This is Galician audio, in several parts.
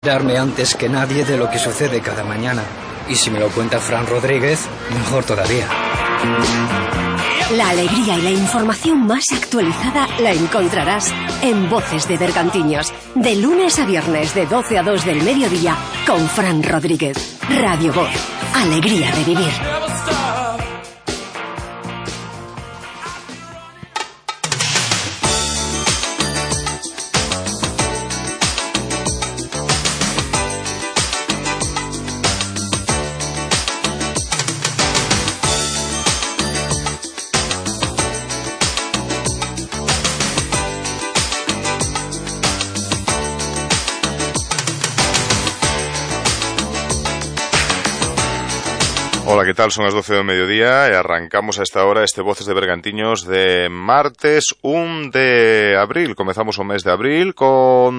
Darme antes que nadie de lo que sucede cada mañana. Y si me lo cuenta Fran Rodríguez, mejor todavía. La alegría y la información más actualizada la encontrarás en Voces de Bergantiños, de lunes a viernes de 12 a 2 del mediodía, con Fran Rodríguez. Radio Voz, alegría de vivir. Ola, que tal? Son as 12 do mediodía e arrancamos a esta hora este Voces de Bergantiños de martes 1 de abril. Comezamos o mes de abril con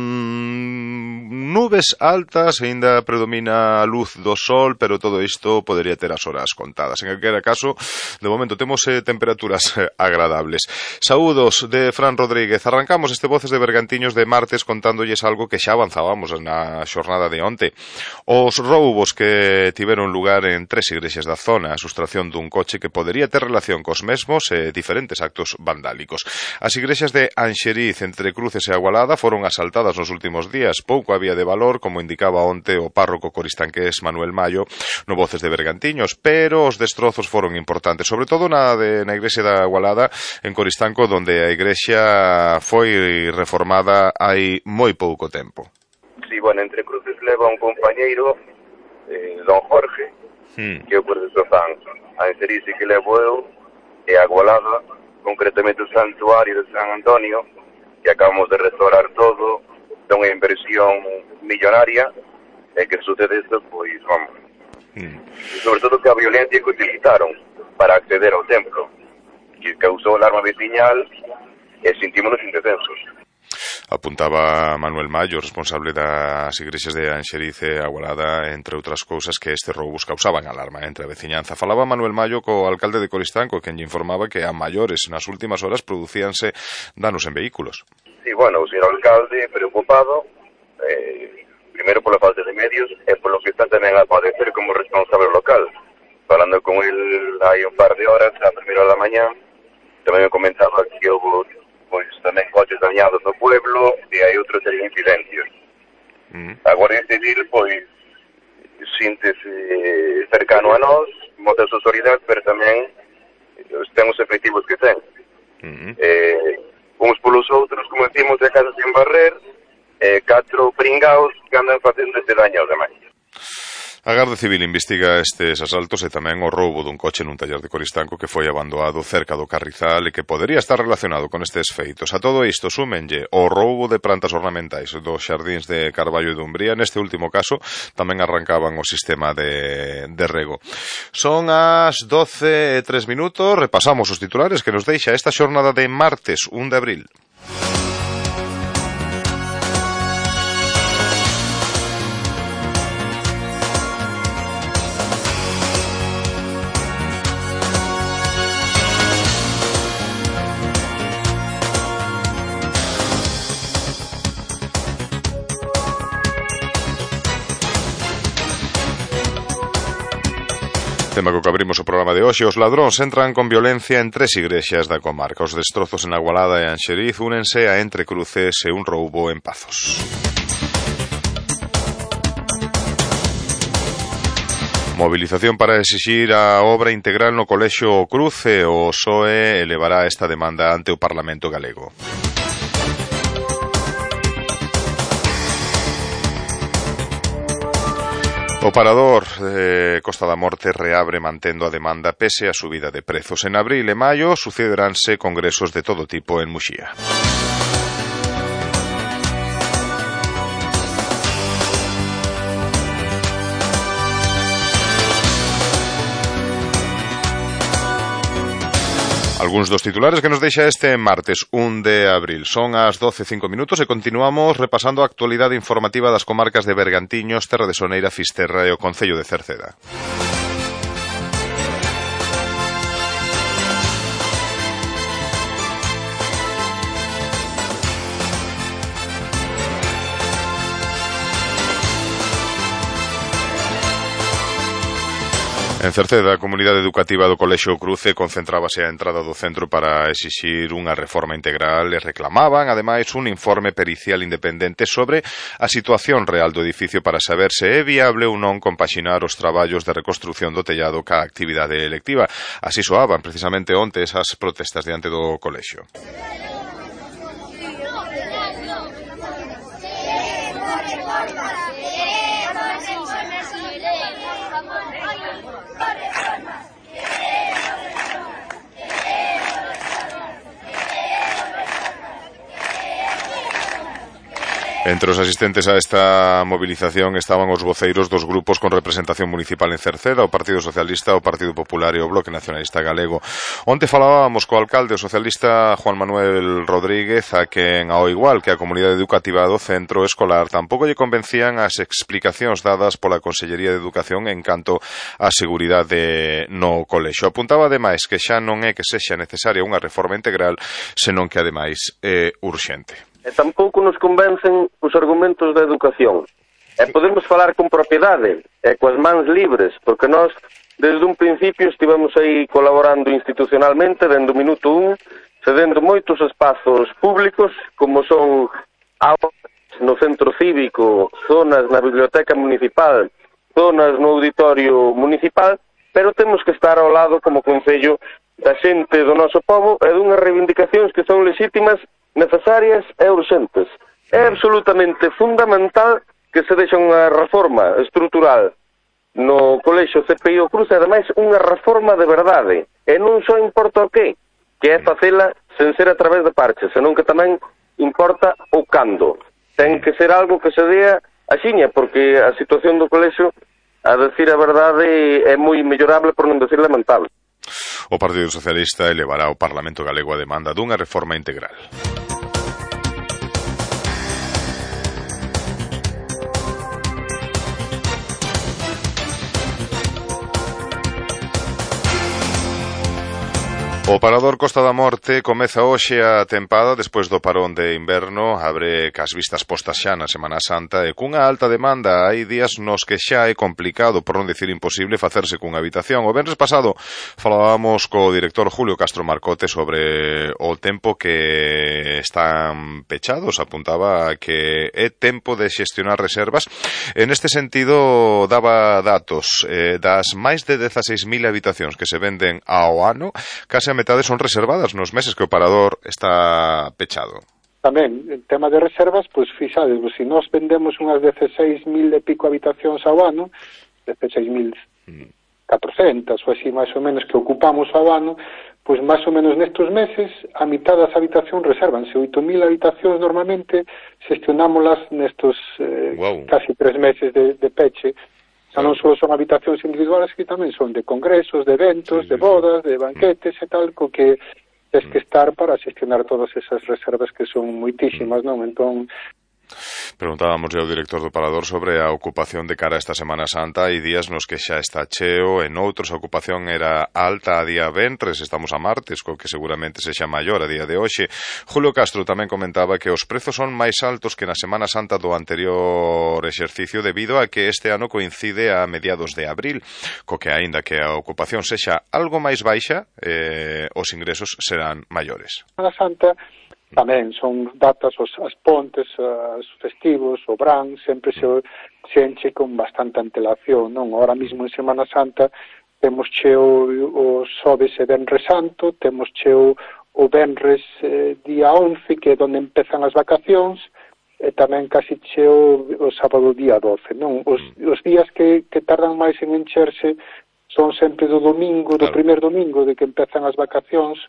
nubes altas, aínda predomina a luz do sol, pero todo isto podería ter as horas contadas. En calquera caso, de momento temos temperaturas agradables. Saúdos de Fran Rodríguez. Arrancamos este Voces de Bergantiños de martes contándolles algo que xa avanzábamos na xornada de onte. Os roubos que tiveron lugar en tres igrexas da zona, a sustracción dun coche que podería ter relación cos mesmos e diferentes actos vandálicos. As igrexas de Anxeriz, Entre Cruces e Agualada foron asaltadas nos últimos días. Pouco había de valor, como indicaba onte o párroco coristanqués Manuel Mayo no Voces de Bergantiños, pero os destrozos foron importantes, sobre todo na igrexa da Agualada en Coristanco, donde a igrexa foi reformada hai moi pouco tempo. Sí, bueno, Entre Cruces leva un compañeiro, don Jorge, que eu por eso fan a Anxeriz que levo eu, e a Agualada, concretamente o santuario de San Antonio, que acabamos de restaurar todo, de unha inversión millonaria, e que sucede isto, pois, vamos, sobre todo que a violencia que utilizaron para acceder ao templo, que causou alarma veciñal, e sentímonos indefensos. Apuntaba Manuel Mayo, responsable das igrexas de Anxeriz e Agualada, entre outras cousas, que estes roubos causaban alarma entre a veciñanza. Falaba Manuel Mayo co alcalde de Coristanco, quen lle informaba que a maiores nas últimas horas producíanse danos en vehículos. Sí, bueno, o señor alcalde preocupado, primeiro pola falta de medios e polo que está tamén a padecer como responsable local. Falando con el hai un par de horas, a primeira da mañá, tamén me comentaba que houve pois tamén coches dañados no pueblo e hai outros incidencias. A Guardia Civil, pois, síntese cercano a nós, mostra a súa solidaridade, pero tamén ten os efectivos que ten. Uns polos outros, como decimos, de casa sin barrer, 4 pringaos que andan facendo este daño aos demais. A Garda Civil investiga estes asaltos e tamén o roubo dun coche nun taller de Coristanco que foi abandonado cerca do Carrizal e que podería estar relacionado con estes feitos. A todo isto súmenlle o roubo de plantas ornamentais dos xardíns de Carballo e Dumbría. Neste último caso tamén arrancaban o sistema de rego. Son as 12:03, repasamos os titulares que nos deixa esta xornada de martes 1 de abril. Tema co que abrimos o programa de hoxe. Os ladróns entran con violencia en tres igrexas da comarca. Os destrozos en Agualada e Anxeriz únense a Entre Cruces e un roubo en Pazos. Movilización para exixir a obra integral no Colexio Cruce. O PSOE elevará esta demanda ante o Parlamento galego. O parador de Costa da Morte reabre mantendo a demanda pese a subida de prezos. En abril e maio sucederánse congresos de todo tipo en Muxía. Algúns dos titulares que nos deixa este martes 1 de abril. Son as 12:05 e continuamos repasando a actualidade informativa das comarcas de Bergantiños, Terra de Soneira, Fisterra e o Concello de Cerceda. En Cerceda, a comunidade educativa do Colexio Cruce concentrábase a entrada do centro para exixir unha reforma integral e reclamaban, ademais, un informe pericial independente sobre a situación real do edificio para saber se é viable ou non compaxinar os traballos de reconstrución do tellado ca actividade electiva. Así soaban precisamente onte esas protestas diante do colexio. Entre os asistentes a esta movilización estaban os voceiros dos grupos con representación municipal en Cerceda, o Partido Socialista, o Partido Popular e o Bloque Nacionalista Galego. Onte falábamos co alcalde, o socialista Juan Manuel Rodríguez, a quen, ao igual que a comunidade educativa do centro escolar, tampouco lle convencían as explicacións dadas pola Consellería de Educación en canto á seguridade no colexio. Apuntaba ademais que xa non é que sexa necesaria unha reforma integral, senón que ademais é urxente. E tampouco nos convencen os argumentos da educación. E podemos falar con propiedade e coas mans libres, porque nós, desde un principio, estivemos aí colaborando institucionalmente, dende o minuto 1, cedendo moitos espazos públicos, como son aulas no centro cívico, zonas na biblioteca municipal, zonas no auditorio municipal, pero temos que estar ao lado como concello da xente do noso povo e dunhas reivindicacións que son legítimas, necesarias e urxentes. É absolutamente fundamental que se deixe unha reforma estrutural no colexio CPI o Cruz, e ademais unha reforma de verdade, e non só importa o que é facela sen ser a través de parches, senón que tamén importa o cando. Ten que ser algo que se dea axiña, porque a situación do colexio, a decir a verdade, é moi mellorable, por non decir lamentable. O Partido Socialista elevará ao Parlamento Galego a demanda dunha reforma integral. O Parador Costa da Morte comeza hoxe a tempada despois do parón de inverno, abre cas vistas postas xa na Semana Santa e cunha alta demanda. Hai días nos que xa é complicado, por non dicir imposible, facerse cunha habitación. O venres pasado falábamos co director Julio Castro Marcote sobre o tempo que están pechados. Apuntaba que é tempo de xestionar reservas. En este sentido, daba datos das máis de 16.000 habitacións que se venden ao ano, case a metade son reservadas nos meses que o Parador está pechado. Tamén, en tema de reservas, pois fixades, se nós vendemos unhas 16.000 e pico habitacións ao ano, 16.400 ou así máis ou menos que ocupamos ao ano, pois máis ou menos nestes meses a mitad das habitacións reservanse. 8.000 habitacións normalmente xestionámolas nestes casi 3 meses de peche. Xa non só son habitacións individuales, que tamén son de congresos, de eventos, de bodas, de banquetes e tal, co que tens que estar para xestionar todas esas reservas que son moitísimas, non? Entón, preguntábamos ao director do Parador sobre a ocupación de cara a esta Semana Santa. Hai días nos que xa está cheo, en outros a ocupación era alta a día ventres, estamos a martes, co que seguramente sexa maior a día de hoxe. Julio Castro tamén comentaba que os prezos son máis altos que na Semana Santa do anterior exercicio debido a que este ano coincide a mediados de abril, co que aínda que a ocupación sexa algo máis baixa, os ingresos serán maiores. Semana Santa tamén son datas, as pontes, os festivos, o Brán, sempre se enche con bastante antelación, non? Ahora mesmo en Semana Santa temos cheo o Xoves e Venres Santo, temos cheo o Venres día 11, que é onde empezan as vacacións, e tamén casi cheo o sábado día 12, non? Os días que tardan máis en encherse son sempre do domingo, do primer domingo de que empezan as vacacións,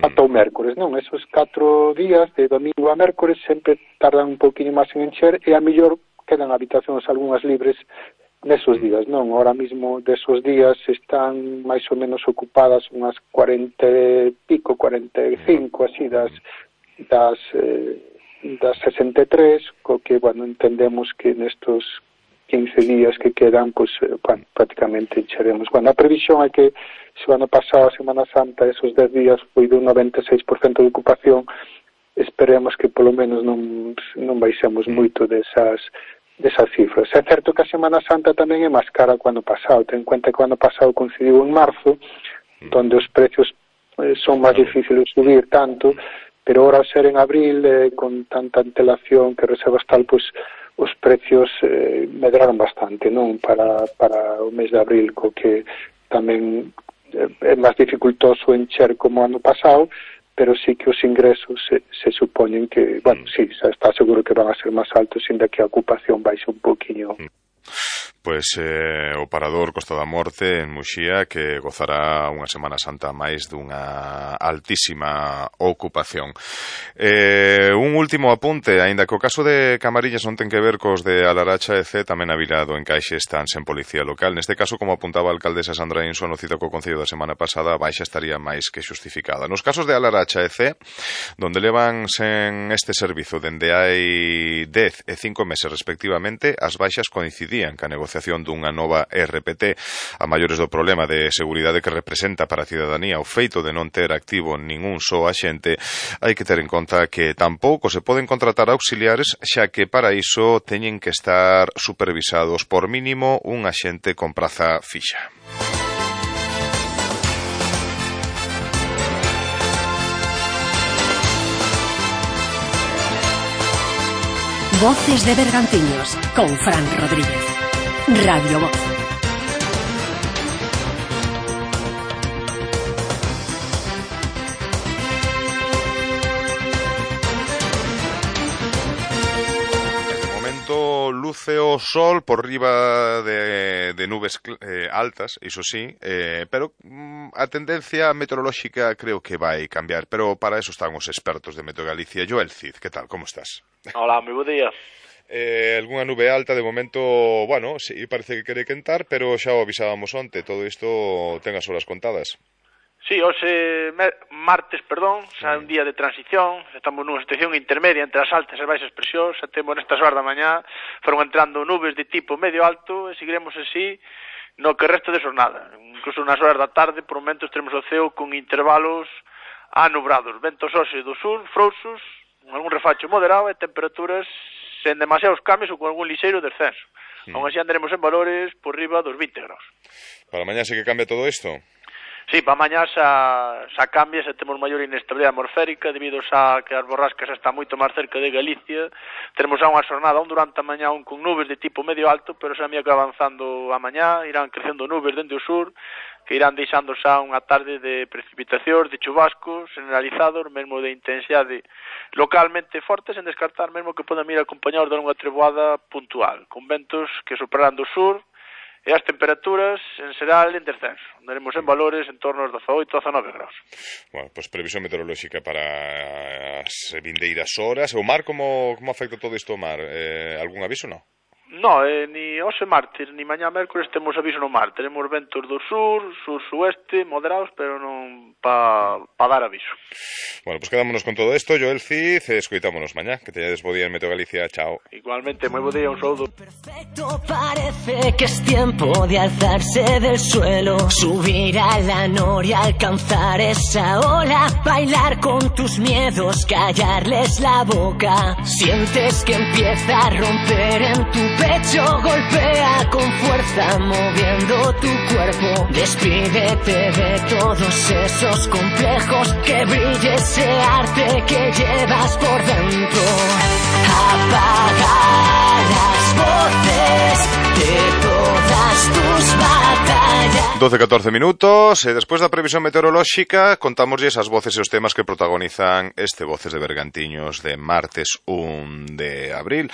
ata o mércores, non? Esos 4 días, de domingo a mércores, sempre tardan un pouquinho máis en encher e a mellor quedan habitacións algunhas libres nesos días, non? Ahora mesmo desos días están máis ou menos ocupadas unhas 40 e pico, 45, así das 63, co que, bueno, entendemos que nestos 15 días que quedan, pues, bueno, prácticamente encheremos. Bueno, a previsión é que se o ano pasado, a Semana Santa, esos 10 días foi dun 96% de ocupación, esperemos que polo menos non baixemos moito desas desas cifras. É certo que a Semana Santa tamén é máis cara que o ano pasado. Ten en cuenta que o ano pasado coincidiu en marzo, onde os precios son máis difíciles de subir tanto, pero ahora ao ser en abril, con tanta antelación que reservas tal, pois os precios medraron bastante, non? Para o mes de abril, co que tamén é máis dificultoso encher como ano pasado, pero sí que os ingresos se supoñen que, bueno, sí, está seguro que van a ser máis altos, ainda que a ocupación baixe un poquinho. Pois o Parador Costa da Morte en Muxía, que gozará unha Semana Santa máis dunha altísima ocupación. Un último apunte, aínda que o caso de Camariñas non ten que ver cos de Alaracha e C, tamén a vila do Encaixe están sen policía local. Neste caso, como apuntaba a alcaldesa Sandra Inso no cita co Concello da semana pasada, a baixa estaría máis que xustificada. Nos casos de Alaracha e C, donde levan sen este servizo dende hai 10 e 5 meses respectivamente, as baixas coincidían ca negociación dunha nova RPT a maiores do problema de seguridade que representa para a cidadanía o feito de non ter activo ningún só axente. Hai que ter en conta que tampouco se poden contratar auxiliares, xa que para iso teñen que estar supervisados por mínimo un axente con praza fixa. Voces de Bergantiños con Fran Rodríguez. Radio Voz. De momento luce o sol por riba de nubes altas, iso sí, pero a tendencia meteorolóxica creo que vai cambiar, pero para eso están os expertos de Meteo Galicia. Joel Cid, que tal, como estás? Hola, moi bo día. Algúnha nube alta, de momento, bueno, sí, parece que quere quentar, pero xa o avisábamos onte, todo isto ten as horas contadas. Sí, hoxe martes, xa é un día de transición, estamos nunha situación intermedia entre as altas e baixas presións, xa temos nestas horas da mañá, foron entrando nubes de tipo medio alto e seguiremos así no que resto de xornada. Incluso nas horas da tarde, por momentos, teremos o ceo con intervalos anubrados, ventos hoxe do sur, frouxos, algún refacho moderado e temperaturas sen demasiados cambios ou con algún lixeiro descenso. Aún así andaremos en valores por riba dos 20 graus. Para mañá sí que cambia todo isto? Sí, para mañá xa cambia, xa temos maior inestabilidade atmosférica debido a que as borrascas xa están moito máis cerca de Galicia. Teremos xa unha xornada, durante a mañá con nubes de tipo medio alto, pero xa que avanzando a mañá, irán crecendo nubes dende o sur, que irán deixando xa unha tarde de precipitacións, de chubascos generalizados, mesmo de intensidade localmente fortes, sen descartar mesmo que podan ir acompañados de unha treboada puntual, con ventos que superarán do sur, e as temperaturas en xeral en descenso. Andaremos en valores en torno aos 18 a 19 graus. Bueno, pois previsión meteorolóxica para as vindeiras horas. O mar, como afecta todo isto o mar? Algún aviso, non? No, ni hoxe martes, ni mañá mércores temos aviso no mar. Tenemos ventos do sur, sur-sueste, moderados, pero non pa dar aviso. Bueno, pues quedámonos con todo isto. Joel Cid, escoitámonos mañá. Que teñades bo día en Meteo Galicia. Chao. Igualmente, moi bo día, un saúdo. Perfecto, parece que es tiempo de alzarse del suelo, subir a la noria, alcanzar esa ola, bailar con tus miedos, callarles la boca. Sientes que empieza a romper en tu pecho, golpea con fuerza moviendo tu cuerpo. Despídete de todos esos complejos, que brille ese arte que llevas por dentro. Apaga las voces de todas tus batallas. 12-14 minutos, e despois da previsión meteorolóxica contámoslles as voces e os temas que protagonizan este Voces de Bergantiños de martes 1 de abril.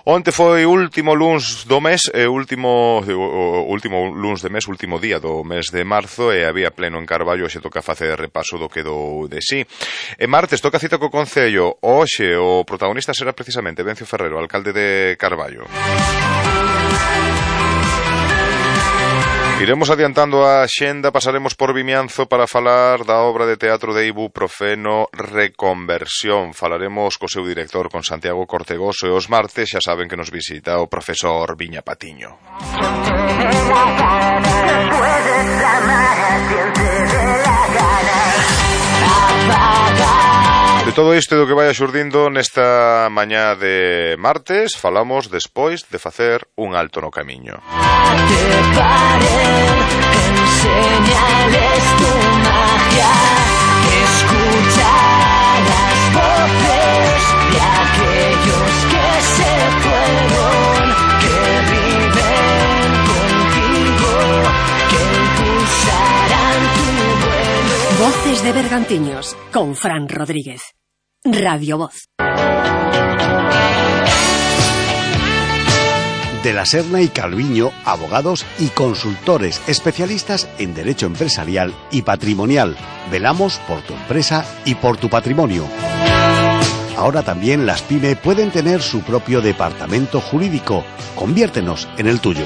Onte foi último luns do mes, último luns de mes, último día do mes de marzo, e había pleno en Carballo. Hoxe toca facer repaso do que dou de sí. E martes toca cita co Concello. Hoxe o protagonista será precisamente Vencio Ferrero, alcalde de Carballo. Iremos adiantando a xenda, pasaremos por Vimianzo para falar da obra de teatro de Ibuprofeno Reconversión. Falaremos co seu director, con Santiago Cortegoso, e os martes xa saben que nos visita o profesor Viña Patiño. todo isto e do que vai xurdindo nesta mañá de martes falamos despois de facer un alto no camiño. Enseñales tu magia, escucha las voces de aquellos que se fueron, que viven contigo, que impulsarán tu vuelo. Voces de Bergantiños, con Fran Rodríguez. Radio Voz. De la Serna y Calviño, abogados y consultores especialistas en derecho empresarial y patrimonial. Velamos por tu empresa y por tu patrimonio. Ahora también las PYME pueden tener su propio departamento jurídico. Conviértenos en el tuyo.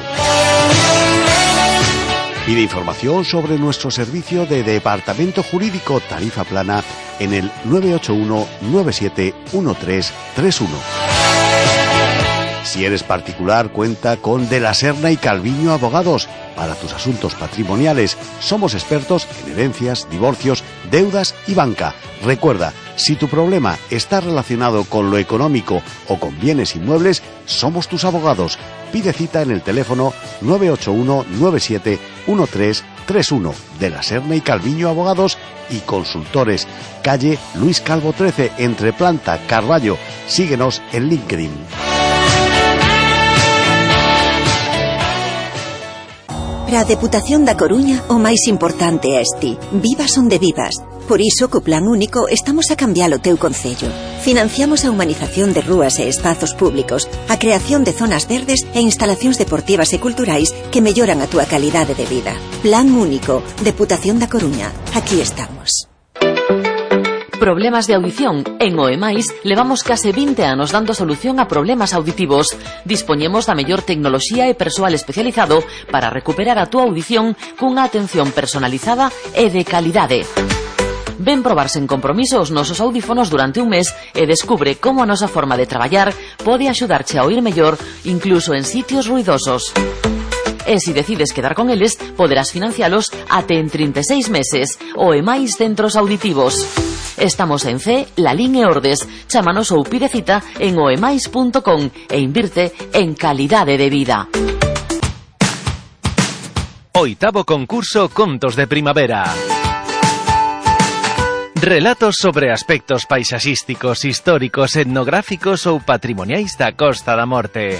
Pide información sobre nuestro servicio de departamento jurídico tarifa plana en el 981 97 1331. Si eres particular, cuenta con De la Serna y Calviño Abogados. Para tus asuntos patrimoniales, somos expertos en herencias, divorcios, deudas y banca. Recuerda, si tu problema está relacionado con lo económico o con bienes inmuebles, somos tus abogados. Pide cita en el teléfono 981 97 1331. De la Serna y Calviño Abogados y Consultores. Calle Luis Calvo 13, entre Planta, Carballo. Síguenos en LinkedIn. Para a Deputación da Coruña, o máis importante é ti. Vivas onde vivas. Por iso, co Plan Único, estamos a cambiar o teu concello. Financiamos a humanización de rúas e espazos públicos, a creación de zonas verdes e instalacións deportivas e culturais que melloran a túa calidade de vida. Plan Único, Deputación da Coruña. Aquí estamos. Problemas de audición. En OEMAIS levamos case 20 anos dando solución a problemas auditivos. Dispoñemos da mellor tecnoloxía e persoal especializado para recuperar a túa audición cunha atención personalizada e de calidade. Ven probar sen compromiso os nosos audífonos durante un mes e descubre como a nosa forma de traballar pode axudarche a oír mellor incluso en sitios ruidosos. E se decides quedar con eles, poderás financialos até en 36 meses. OEMAIS Centros Auditivos. Estamos en C, Lalín e Ordes. Chámanos ou pide cita en oemais.com e invirte en calidade de vida. Oitavo concurso Contos de Primavera. Relatos sobre aspectos paisaxísticos, históricos, etnográficos ou patrimoniais da Costa da Morte.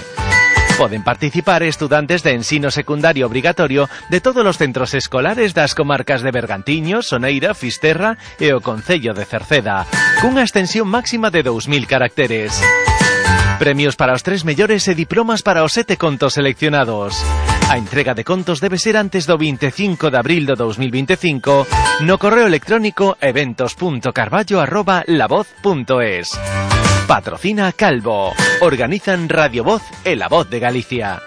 Poden participar estudantes de ensino secundario obrigatorio de todos os centros escolares das comarcas de Bergantiños, Soneira, Fisterra e o concello de Cerceda, cunha extensión máxima de 2000 caracteres. Premios para os 3 mellores e diplomas para os 7 contos seleccionados. A entrega de contos debe ser antes do 25 de abril do 2025 no correo electrónico eventos.carballo@lavoz.es. Patrocina Calvo. Organizan Radio Voz e La Voz de Galicia.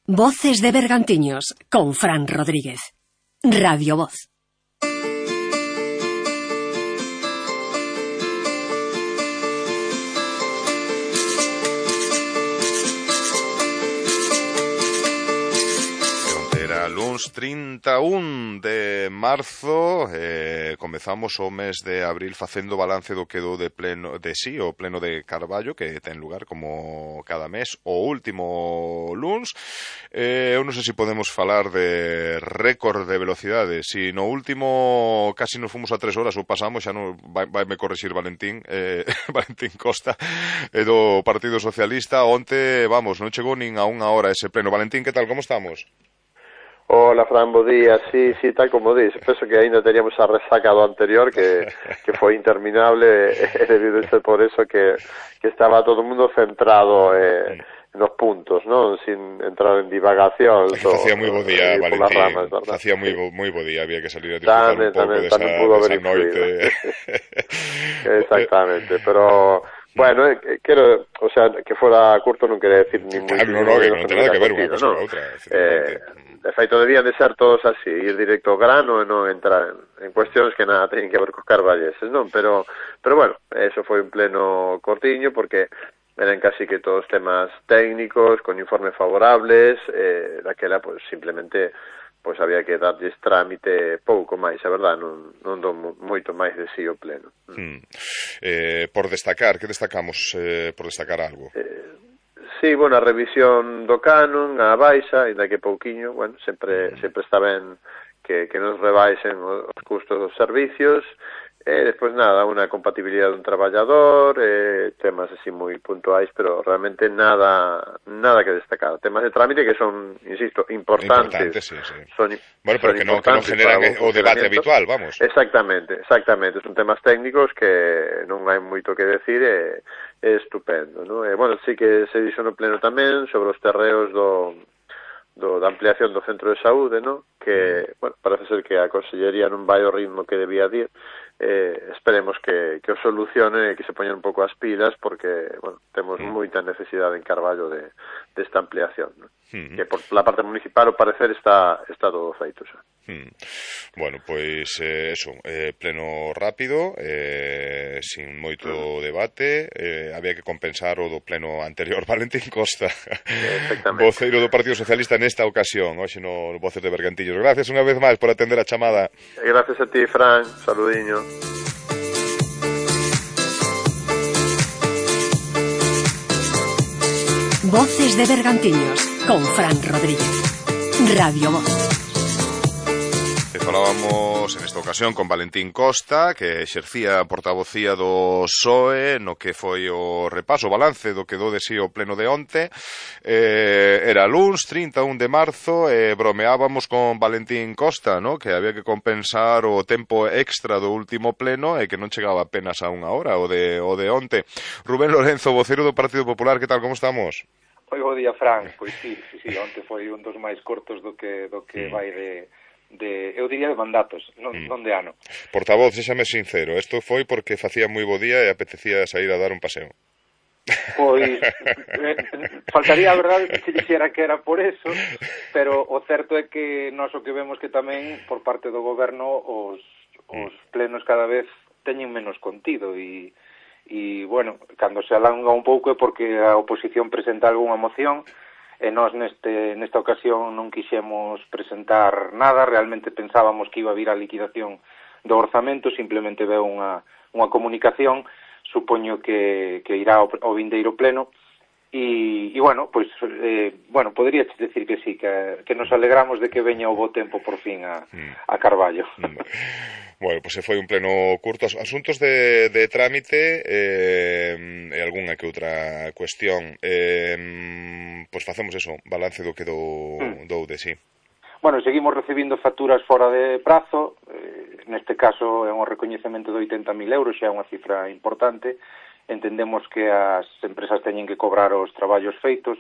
Voces de Bergantiños, con Fran Rodríguez. Radio Voz. Luns 31 de marzo comezamos o mes de abril facendo balance do que do de pleno de sí, o pleno de Carballo que ten lugar como cada mes o último luns. Eu non sei se podemos falar de récord de velocidade. Si no último casi nos fomos a 3 horas ou pasamos, xa non vai me corrixir Valentín Valentín Costa do Partido Socialista. Onte, vamos, non chegou nin a 1 hora ese pleno. Valentín, que tal, como estamos? Hola, Fran, bo día. Sí, tal como dices. Penso que ainda teníamos a resaca do anterior que foi interminable e debido a ser por eso que estaba todo o mundo centrado nos puntos, non? Sin entrar en divagación. Facía moi bo día, Valentín. Facía moi bo día, había que salir a disfrutar un pouco desa noite. Exactamente, pero... Bueno, quero, o sea, que fora curto non quere decir ni moi... Claro, no, que non ten nada que ver unha cosa con outra. De feito, debían de ser todos así, ir directo ao grano e non entrar en cuestións que nada teñen que ver cos carballeses, non? Pero bueno, eso foi un pleno cortiño, porque eran casi que todos temas técnicos, con informes favorables, daquela, pues, simplemente pois había que darlles trámite pouco máis, a verdade, non dou moito máis de si o pleno. Por destacar, que destacamos por destacar algo? Sí, bueno, a revisión do canon, a baixa, ainda que pouquiño, bueno, sempre está ben que nos rebaixen os custos dos servicios, despois nada, unha compatibilidade dun traballador, temas así moi puntuais, pero realmente nada que destacar. Temas de trámite que son, insisto, importantes. Sí. Bueno, pero que non generan o debate habitual, vamos. Exactamente. Son temas técnicos que non hai moito que decir, é estupendo, non? Bueno, sí que se dixo no pleno tamén sobre os terreos da ampliación do centro de saúde, non? Que, bueno, parece ser que a Consellería non vai ao ritmo que debía ir. Esperemos que o solucione e que se poñan un pouco as pilas porque, bueno, temos moita necesidade en Carballo desta ampliación, ¿no? Que por la parte municipal o parecer está todo feito xa. Bueno, pois eso, pleno rápido, sin moito debate, había que compensar o do pleno anterior. Valentín Costa, voceiro do Partido Socialista nesta ocasión, hoxe no Voces de Bergantiños. Gracias unha vez máis por atender a chamada. Gracias a ti, Fran, saludiño. Voces de Bergantiños con Fran Rodríguez. Radio Voz. Falábamos en esta ocasión con Valentín Costa, que exercía a portavocía do PSOE, no que foi o repaso, o balance do que do de si o pleno de onte. Era luns, 31 de marzo, e bromeábamos con Valentín Costa, ¿no? Que había que compensar o tempo extra do último pleno e que non chegaba apenas a unha hora, o de onte. Rubén Lorenzo, vocero do Partido Popular, que tal, como estamos? Moi bo día, Fran. Pois sí, onte foi un dos máis cortos do que vai eu diría de mandatos, non de ano. Portavoz, séxame sincero, isto foi porque facía moi bo día e apetecía sair a dar un paseo. Pois, faltaría a verdade que se dixera que era por eso, pero o certo é que nós o que vemos que tamén, por parte do goberno, os plenos cada vez teñen menos contido e bueno, cando se alonga un pouco é porque a oposición presenta algunha moción e nós nesta ocasión non quixemos presentar nada, realmente pensábamos que iba a vir a liquidación do orzamento, simplemente veu unha comunicación, supoño que irá ao vindeiro pleno, e bueno, pois, podría decir que sí, que nos alegramos de que veña o bo tempo por fin a Carballo. Bueno, pois foi un pleno curto. Asuntos de trámite e algunha que outra cuestión. Pois facemos eso, balance do que dou de sí. Bueno, seguimos recibindo facturas fora de prazo, neste caso é un recoñecemento de 80.000 euros, xa é unha cifra importante. Entendemos que as empresas teñen que cobrar os traballos feitos.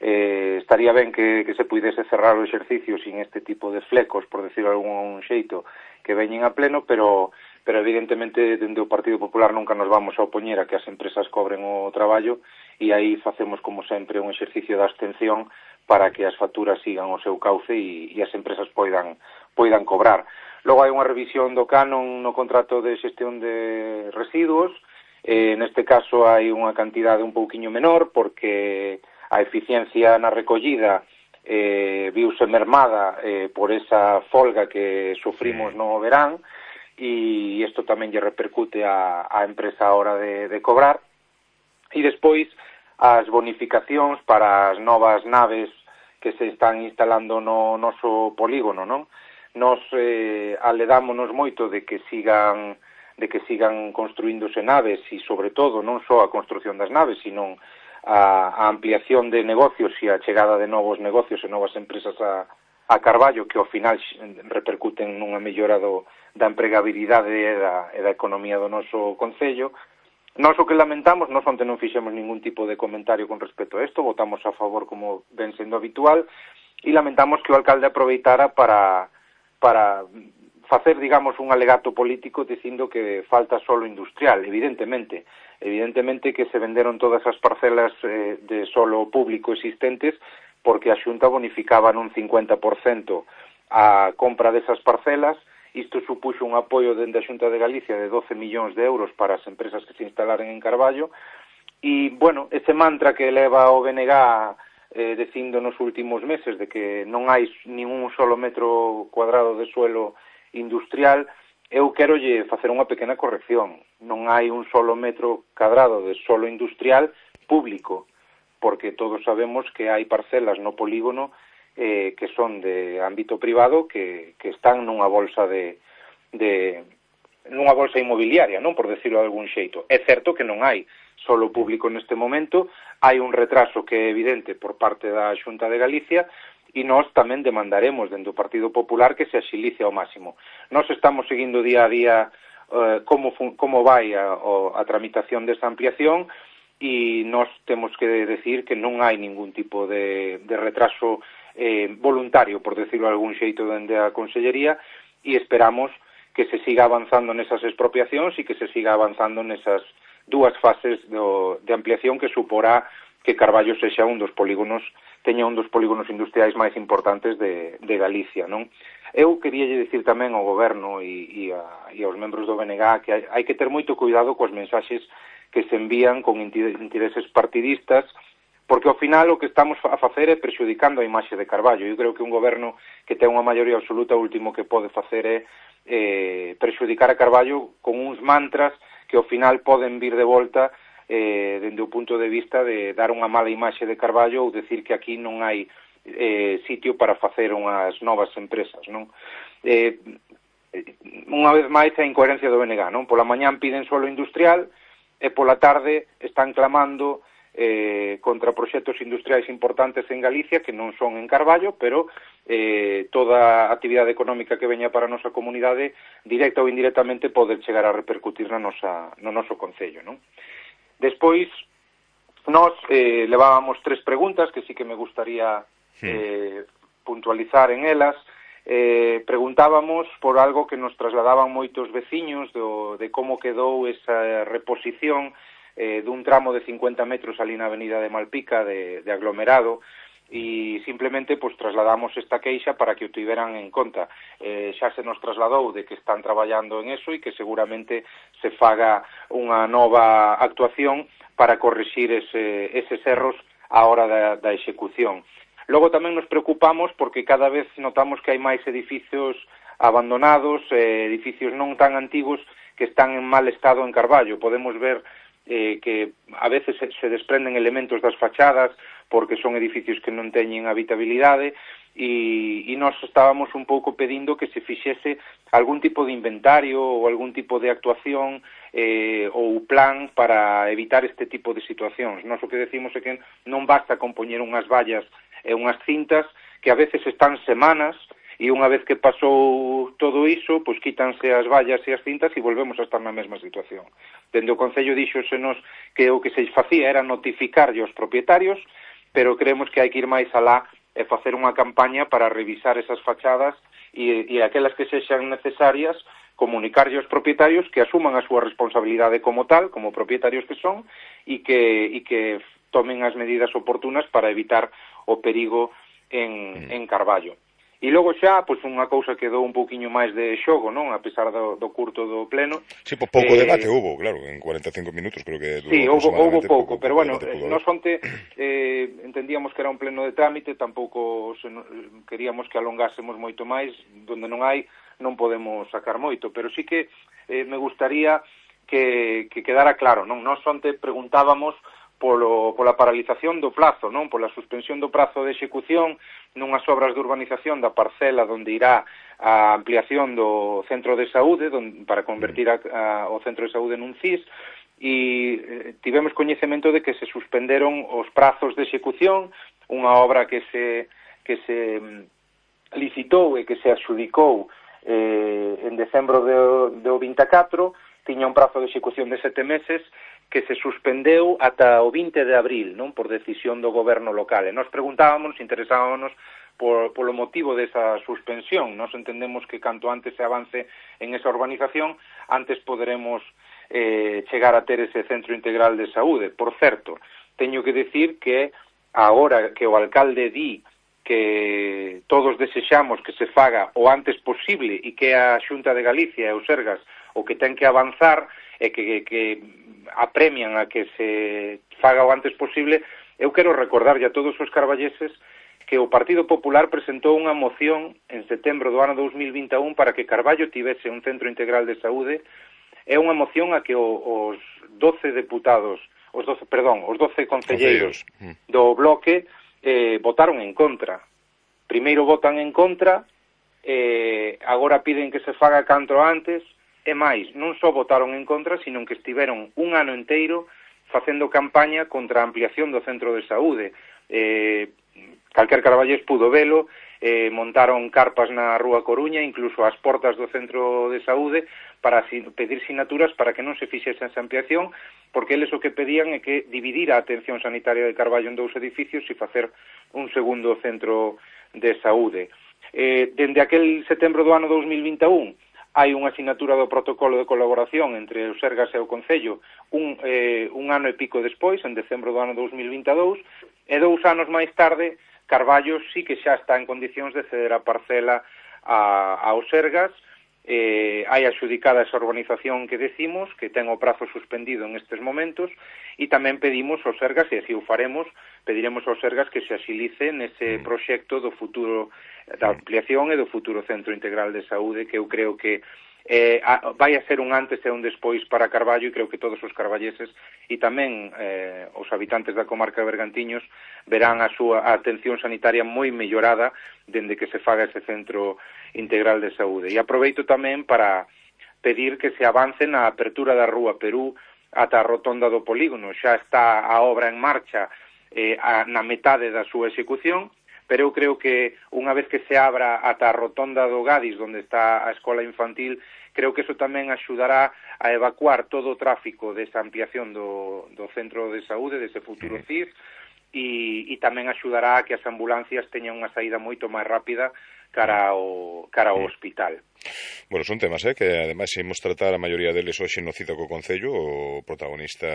Estaría ben que se puidese cerrar o exercicio sin este tipo de flecos, por decirlo de algún xeito, que veñen a pleno, pero evidentemente dende o Partido Popular nunca nos vamos a opoñer a que as empresas cobren o traballo e aí facemos como sempre un exercicio de abstención para que as facturas sigan o seu cauce e as empresas poidan cobrar. Logo hai unha revisión do canon no contrato de xestión de residuos. Neste caso hai unha cantidade un pouquiño menor porque a eficiencia na recollida viuse mermada por esa folga que sufrimos no verán e isto tamén lle repercute á empresa a hora de cobrar. E despois as bonificacións para as novas naves que se están instalando no noso polígono, non? Nos aledámonos moito de que sigan construíndose naves e, sobre todo, non só a construción das naves, sino a ampliación de negocios e a chegada de novos negocios e novas empresas a Carballo, que ao final repercuten nunha mellora da empregabilidade e da economía do noso concello. Nós o que lamentamos, nós onte non fixemos ningún tipo de comentario con respecto a isto, votamos a favor como ven sendo habitual, e lamentamos que o alcalde aproveitara para facer, digamos, un alegato político dicindo que falta solo industrial. Evidentemente que se venderon todas as parcelas de solo público existentes porque a Xunta bonificaba nun 50% a compra desas parcelas. Isto supuxo un apoio dende a Xunta de Galicia de 12 millóns de euros para as empresas que se instalaran en Carballo. E, bueno, ese mantra que leva o BNG dicindo nos últimos meses de que non hai nin un solo metro cuadrado de suelo industrial, eu quero facer unha pequena corrección. Non hai un solo metro cuadrado de suelo industrial público, porque todos sabemos que hai parcelas no polígono que son de ámbito privado que están nunha bolsa nunha bolsa inmobiliaria, non, por decirlo de algún xeito. É certo que non hai solo público neste momento, hai un retraso que é evidente por parte da Xunta de Galicia e nós tamén demandaremos dentro do Partido Popular que se axilice ao máximo. Nós estamos seguindo día a día como vai a tramitación desa ampliación e nós temos que decir que non hai ningún tipo de retraso voluntario, por decirlo de algún xeito, dende a Consellería, e esperamos que se siga avanzando nesas expropiacións e que se siga avanzando nesas dúas fases de ampliación que suporá que Carballo sexa teña un dos polígonos industriais máis importantes de Galicia, non? Eu queríalle dicir tamén ao Goberno e aos membros do BNG que hai que ter moito cuidado coas mensaxes que se envían con intereses partidistas, porque ao final o que estamos a facer é perxudicando a imaxe de Carballo. Eu creo que un goberno que ten unha maioría absoluta o último que pode facer é perxudicar a Carballo con uns mantras que ao final poden vir de volta dende o punto de vista de dar unha mala imaxe de Carballo ou decir que aquí non hai sitio para facer unhas novas empresas, non? Unha vez máis a incoherencia do BNG, non? Pola mañán piden suelo industrial e pola tarde están clamando contra proxectos industriais importantes en Galicia que non son en Carballo, pero toda a actividade económica que veña para a nosa comunidade, directa ou indirectamente, pode chegar a repercutir no noso concello, non? Despois, nós levábamos 3 preguntas que sí que me gustaría puntualizar en elas. Preguntábamos por algo que nos trasladaban moitos veciños de como quedou esa reposición dun tramo de 50 metros ali na avenida de Malpica de aglomerado e simplemente pues trasladamos esta queixa para que o tiveran en conta. Xa se nos trasladou de que están traballando en eso e que seguramente se faga unha nova actuación para corrixir eses erros á hora da execución. Logo tamén nos preocupamos porque cada vez notamos que hai máis edificios abandonados, edificios non tan antigos que están en mal estado en Carballo. Podemos ver que a veces se desprenden elementos das fachadas porque son edificios que non teñen habitabilidade e nós estábamos un pouco pedindo que se fixese algún tipo de inventario ou algún tipo de actuación ou plan para evitar este tipo de situacións. Nós o que decimos é que non basta con poñer unhas vallas e unhas cintas que a veces están semanas e unha vez que pasou todo iso, pois quítanse as vallas e as cintas e volvemos a estar na mesma situación. Dende o Concello díxosenos que o que se facía era notificarlle aos propietarios, pero creemos que hai que ir máis alá e facer unha campaña para revisar esas fachadas e aquelas que sexan necesarias, comunicarlle aos propietarios que asuman a súa responsabilidade como tal, como propietarios que son, e que tomen as medidas oportunas para evitar o perigo en Carballo. E logo xa, pois unha cousa que dou un pouquiño máis de xogo, non? A pesar do curto do pleno. Sí, pois pouco debate hubo, claro, en 45 minutos creo que durou. Sí, houbo pouco, pero bueno, nós onte entendíamos que era un pleno de trámite, tampouco queríamos que alongásemos moito máis, donde non hai, non podemos sacar moito, pero sí que me gustaría que quedara claro, non? Nós onte preguntábamos pola paralización do plazo, non? Pola suspensión do prazo de execución nunhas obras de urbanización da parcela onde irá a ampliación do centro de saúde para convertir o centro de saúde nun CIS e tivemos coñecemento de que se suspenderon os prazos de execución, unha obra que se licitou e que se adxudicou en decembro do 24, tiña un prazo de execución de 7 meses que se suspendeu ata o 20 de abril, non, por decisión do goberno local. E nos preguntábamos, interesábamos polo motivo desa suspensión. Nos entendemos que canto antes se avance en esa urbanización, antes poderemos chegar a ter ese centro integral de saúde. Por certo, teño que decir que agora que o alcalde di que todos desexamos que se faga o antes posible e que a Xunta de Galicia e o Sergas o que ten que avanzar e que apremian a que se faga o antes posible, Eu quero recordarlle a todos os carballeses que o Partido Popular presentou unha moción en setembro do ano 2021 para que Carballo tivese un centro integral de saúde. É unha moción a que os 12 deputados, os 12 concelleiros do bloque votaron en contra. Primeiro votan en contra, agora piden que se faga canto antes, e máis, non só votaron en contra, sino que estiveron un ano inteiro facendo campaña contra a ampliación do centro de saúde. Calquer carballés pudo velo, montaron carpas na Rúa Coruña, incluso ás portas do centro de saúde, para pedir sinaturas para que non se fixese esa ampliación, porque eles o que pedían é que dividir a atención sanitaria de Carballo en 2 edificios e facer un segundo centro de saúde. Dende aquel setembro do ano 2021 hai unha sinatura do protocolo de colaboración entre o Sergas e o Concello un ano e pico despois, en decembro do ano 2022, e 2 anos máis tarde Carballo sí que xa está en condicións de ceder a parcela ao Sergas. Hai adxudicada esa urbanización que decimos, que ten o prazo suspendido en estes momentos, e tamén pedimos ao Sergas, e así o faremos, pediremos ao Sergas que se axilice nese proxecto do futuro da ampliación e do futuro Centro Integral de Saúde, que eu creo que vai a ser un antes e un despois para Carballo, e creo que todos os carballeses e tamén os habitantes da comarca de Bergantiños verán a súa atención sanitaria moi mellorada dende que se faga ese Centro Integral de Saúde. E aproveito tamén para pedir que se avance na apertura da Rúa Perú ata a rotonda do polígono. Xa está a obra en marcha na metade da súa execución, pero eu creo que unha vez que se abra ata a rotonda do Gadis, onde está a escola infantil, creo que eso tamén axudará a evacuar todo o tráfico desa ampliación do centro de saúde, dese futuro CIF, e tamén axudará a que as ambulancias teñan unha saída moito máis rápida cara ao hospital. Bueno, son temas que ademais imos tratar a maioría deles hoxe no Cita co Concello. O protagonista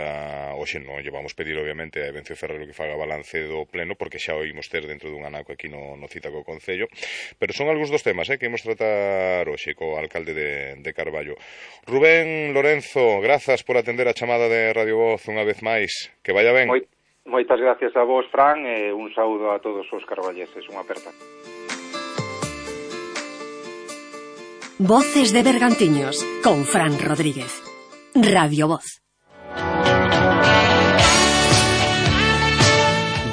hoxe non llevamos pedir obviamente a Evencio Ferrero que faga balance do pleno, porque xa o imos ter dentro dun anaco aquí no Cita co Concello, pero son algúns dos temas que imos tratar hoxe co alcalde de Carballo. Rubén Lorenzo, grazas por atender a chamada de Radio Voz unha vez máis, que vaya ben. Moitas gracias a vos, Fran, e un saúdo a todos os carballeses, unha aperta. Voces de Bergantiños, con Fran Rodríguez. Radio Voz.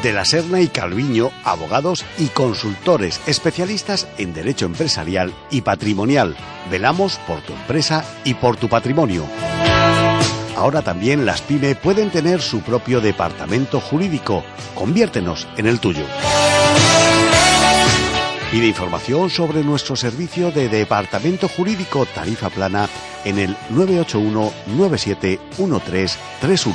De la Serna y Calviño, abogados y consultores especialistas en derecho empresarial y patrimonial. Velamos por tu empresa y por tu patrimonio. Ahora también las PYME pueden tener su propio departamento jurídico. Conviértenos en el tuyo. Pide información sobre nuestro servicio de departamento jurídico tarifa plana en el 981-971331.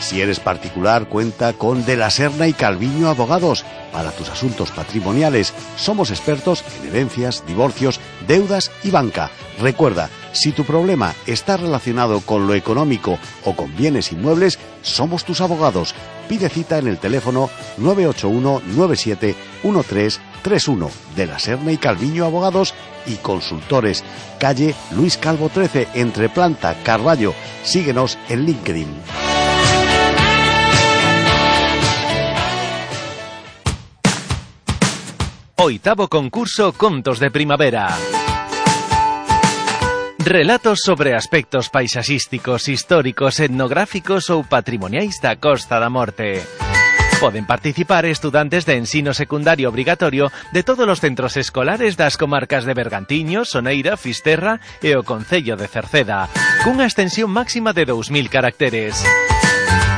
Si eres particular, cuenta con De la Serna y Calviño Abogados. Para tus asuntos patrimoniales, somos expertos en herencias, divorcios, deudas y banca. Recuerda, si tu problema está relacionado con lo económico o con bienes inmuebles, somos tus abogados. Pide cita en el teléfono 981-971331. De la Serna y Calviño Abogados y Consultores. Calle Luis Calvo 13, entre Planta, Carballo. Síguenos en LinkedIn. Oitavo concurso Contos de Primavera. Relatos sobre aspectos paisaxísticos, históricos, etnográficos ou patrimoniais da Costa da Morte. Poden participar estudantes de ensino secundario obrigatorio de todos os centros escolares das comarcas de Bergantiños, Soneira, Fisterra e o Concello de Cerceda, cunha extensión máxima de 2000 caracteres.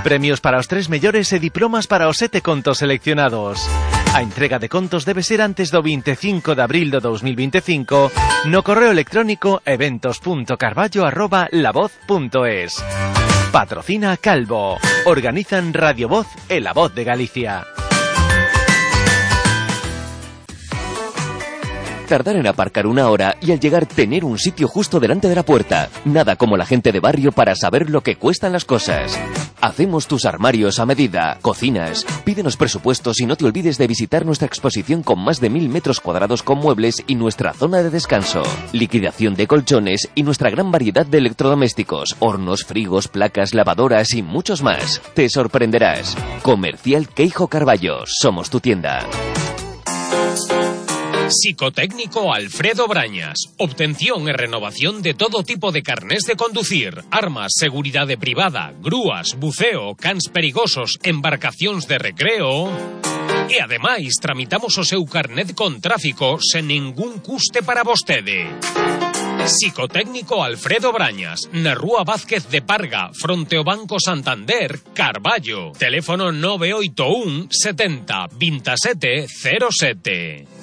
Premios para os 3 mellores e diplomas para os 7 contos seleccionados. A entrega de contos debe ser antes do 25 de abril do 2025 no correo electrónico eventos.carballo@lavoz.es. Patrocina Calvo. Organizan Radio Voz e La Voz de Galicia. Tardar en aparcar 1 hora y al llegar tener un sitio justo delante de la puerta. Nada como la gente de barrio para saber lo que cuestan las cosas. Hacemos tus armarios a medida, cocinas. Pídenos presupuestos y no te olvides de visitar nuestra exposición con más de 1000 metros cuadrados con muebles y nuestra zona de descanso. Liquidación de colchones y nuestra gran variedad de electrodomésticos, hornos, frigos, placas, lavadoras y muchos más. Te sorprenderás. Comercial Queijo Carballo. Somos tu tienda. Psicotécnico Alfredo Brañas. Obtención e renovación de todo tipo de carnés de conducir, armas, seguridade privada, grúas, buceo, cans perigosos, embarcacións de recreo. E ademais tramitamos o seu carnet con tráfico sen ningún custe para vostede. Psicotécnico Alfredo Brañas, na Rúa Vázquez de Parga, fronte ao Banco Santander, Carballo. Teléfono 981 70 27 07.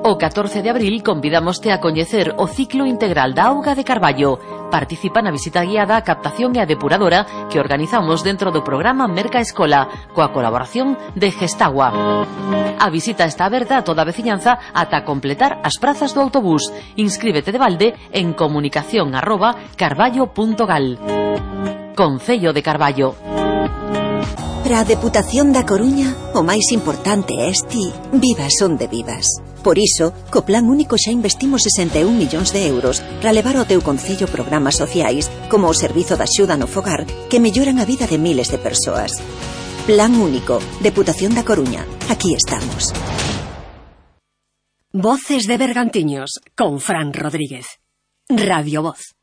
O 14 de abril convidámoste a coñecer o ciclo integral da auga de Carballo. Participa na visita guiada a captación e a depuradora que organizamos dentro do programa Merca Escola, coa colaboración de Gestagua. A visita está aberta a toda a veciñanza ata completar as prazas do autobús. Inscríbete de balde en comunicación@carballo.gal. Concello de Carballo. Para a Deputación da Coruña, o máis importante é ti, vivas onde vivas. Por iso, co Plan Único xa investimos 61 millóns de euros para levar ao teu concello programas sociais como o Servizo de Axuda no Fogar que melloran a vida de miles de persoas. Plan Único, Deputación da Coruña. Aquí estamos. Voces de Bergantiños, con Fran Rodríguez. Radio Voz.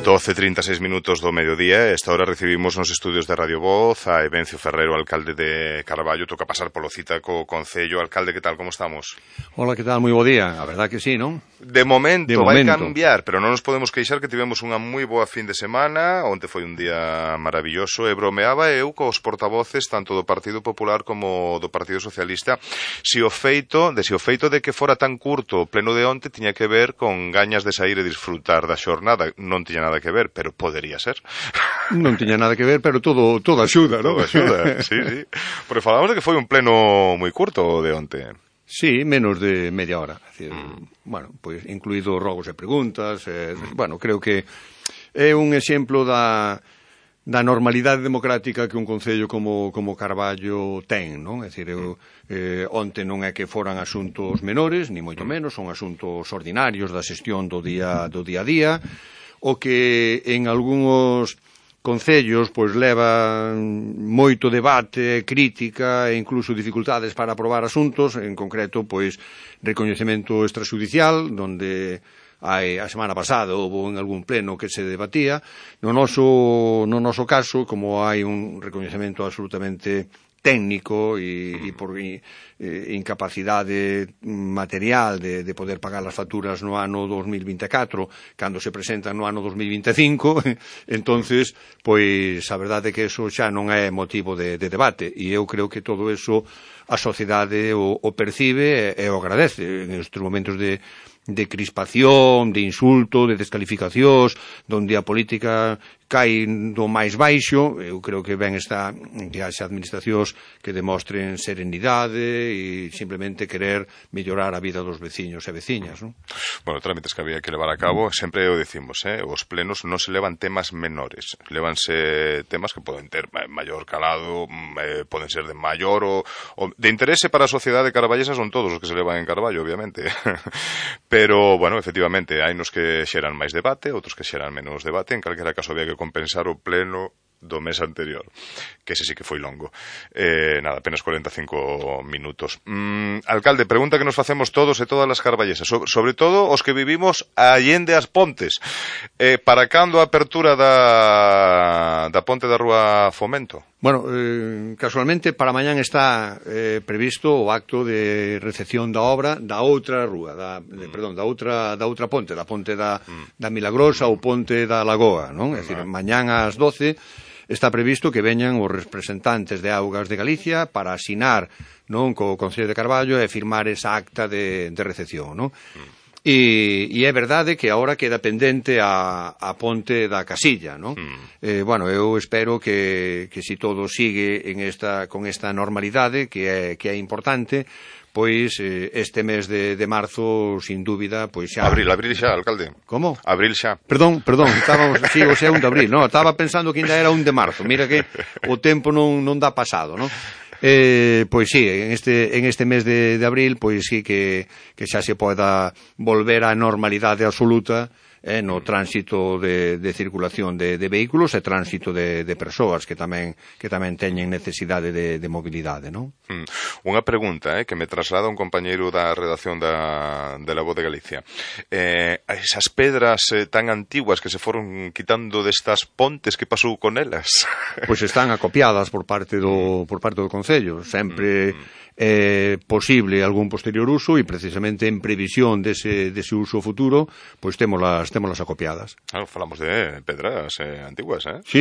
12:36 minutos do mediodía. Esta hora recibimos nos estudios de Radio Voz a Evencio Ferrero, alcalde de Carballo. Toca pasar polo cita co Concello. Alcalde, que tal, como estamos? Hola, que tal, moi bo día. A verdad que sí, non? De momento vai cambiar, pero non nos podemos queixar que tivemos unha moi boa fin de semana. Onte foi un día maravilloso e bromeaba eu cos portavoces tanto do Partido Popular como do Partido Socialista se o feito de que fora tan curto o pleno de onte tiña que ver con gañas de sair e disfrutar da xornada. Non tiña nada que ver, pero podería ser. Non tiña nada que ver, pero todo axuda, non? Todo axuda, sí. Porque falamos de que foi un pleno moi curto de onte. Sí, menos de media hora. Es decir, bueno, pues incluído rogos e preguntas. Bueno, creo que é un exemplo da normalidade democrática que un concello como Carballo ten, non? É dicir, onte non é que foran asuntos menores, ni moito menos, son asuntos ordinarios da xestión do día a día, o que en algúns concellos pois leva moito debate, crítica e incluso dificultades para aprobar asuntos, en concreto pois recoñecemento extrajudicial, donde a semana pasada houve en algún pleno que se debatía. No noso caso, como hai un recoñecemento absolutamente técnico e por incapacidade material de poder pagar as facturas no ano 2024 cando se presentan no ano 2025, entonces, pois a verdade é que eso xa non é motivo de debate, e eu creo que todo eso a sociedade o percibe e o agradece en estes momentos de crispación, de insulto, de descalificacións, donde a política cai do máis baixo. Eu creo que ben está que haxa administracións que demostren serenidade e simplemente querer mellorar a vida dos veciños e veciñas, non? Bueno, trámites que había que levar a cabo, sempre o decimos, os plenos non se levan temas menores, levanse temas que poden ter maior calado, poden ser de maior o de interese para a sociedade carballesa, son todos os que se levan en Carballo, obviamente. Pero, bueno, efectivamente, hai nos que xeran máis debate, outros que xeran menos debate. En calquera caso había que compensar o pleno do mes anterior, que ese sí que foi longo. Nada, apenas 45 minutos. Alcalde, pregunta que nos facemos todos e todas as carballesas, sobre todo os que vivimos allende as pontes. Para cando a apertura da ponte da Rúa Fomento? Bueno, casualmente para mañán está previsto o acto de recepción da obra da outra rúa, da outra ponte, da ponte da Milagrosa ou ponte da Lagoa, non? É dicir, mañán ás 12 está previsto que veñan os representantes de Augas de Galicia para asinar, non, co Concello de Carballo e firmar esa acta de recepción, non? E é verdade que agora queda pendente a ponte da Casilla, non? Bueno, eu espero que se todo sigue con esta normalidade que é importante, pois este mes de marzo, sin dúbida, pois xa... Abril xa, alcalde. Como? Abril xa. Perdón, estábamos, sí, o sea, 1 de abril, non? Estaba pensando que ainda era 1 de marzo, mira que o tempo non dá pasado, non? Pois sí, en este mes de abril, pois sí que xa se poda volver á normalidade absoluta no tránsito de circulación de vehículos e tránsito de persoas que tamén teñen necesidade de mobilidade, non? Unha pregunta que me traslada un compañeiro da redacción de La Voz de Galicia. Esas pedras tan antiguas que se foron quitando destas pontes, que pasou con elas? Pois están acopiadas por parte do Concello. Sempre é posible algún posterior uso e precisamente en previsión dese uso futuro, pois témolas acopiadas. Claro, falamos de pedras antiguas, Sí.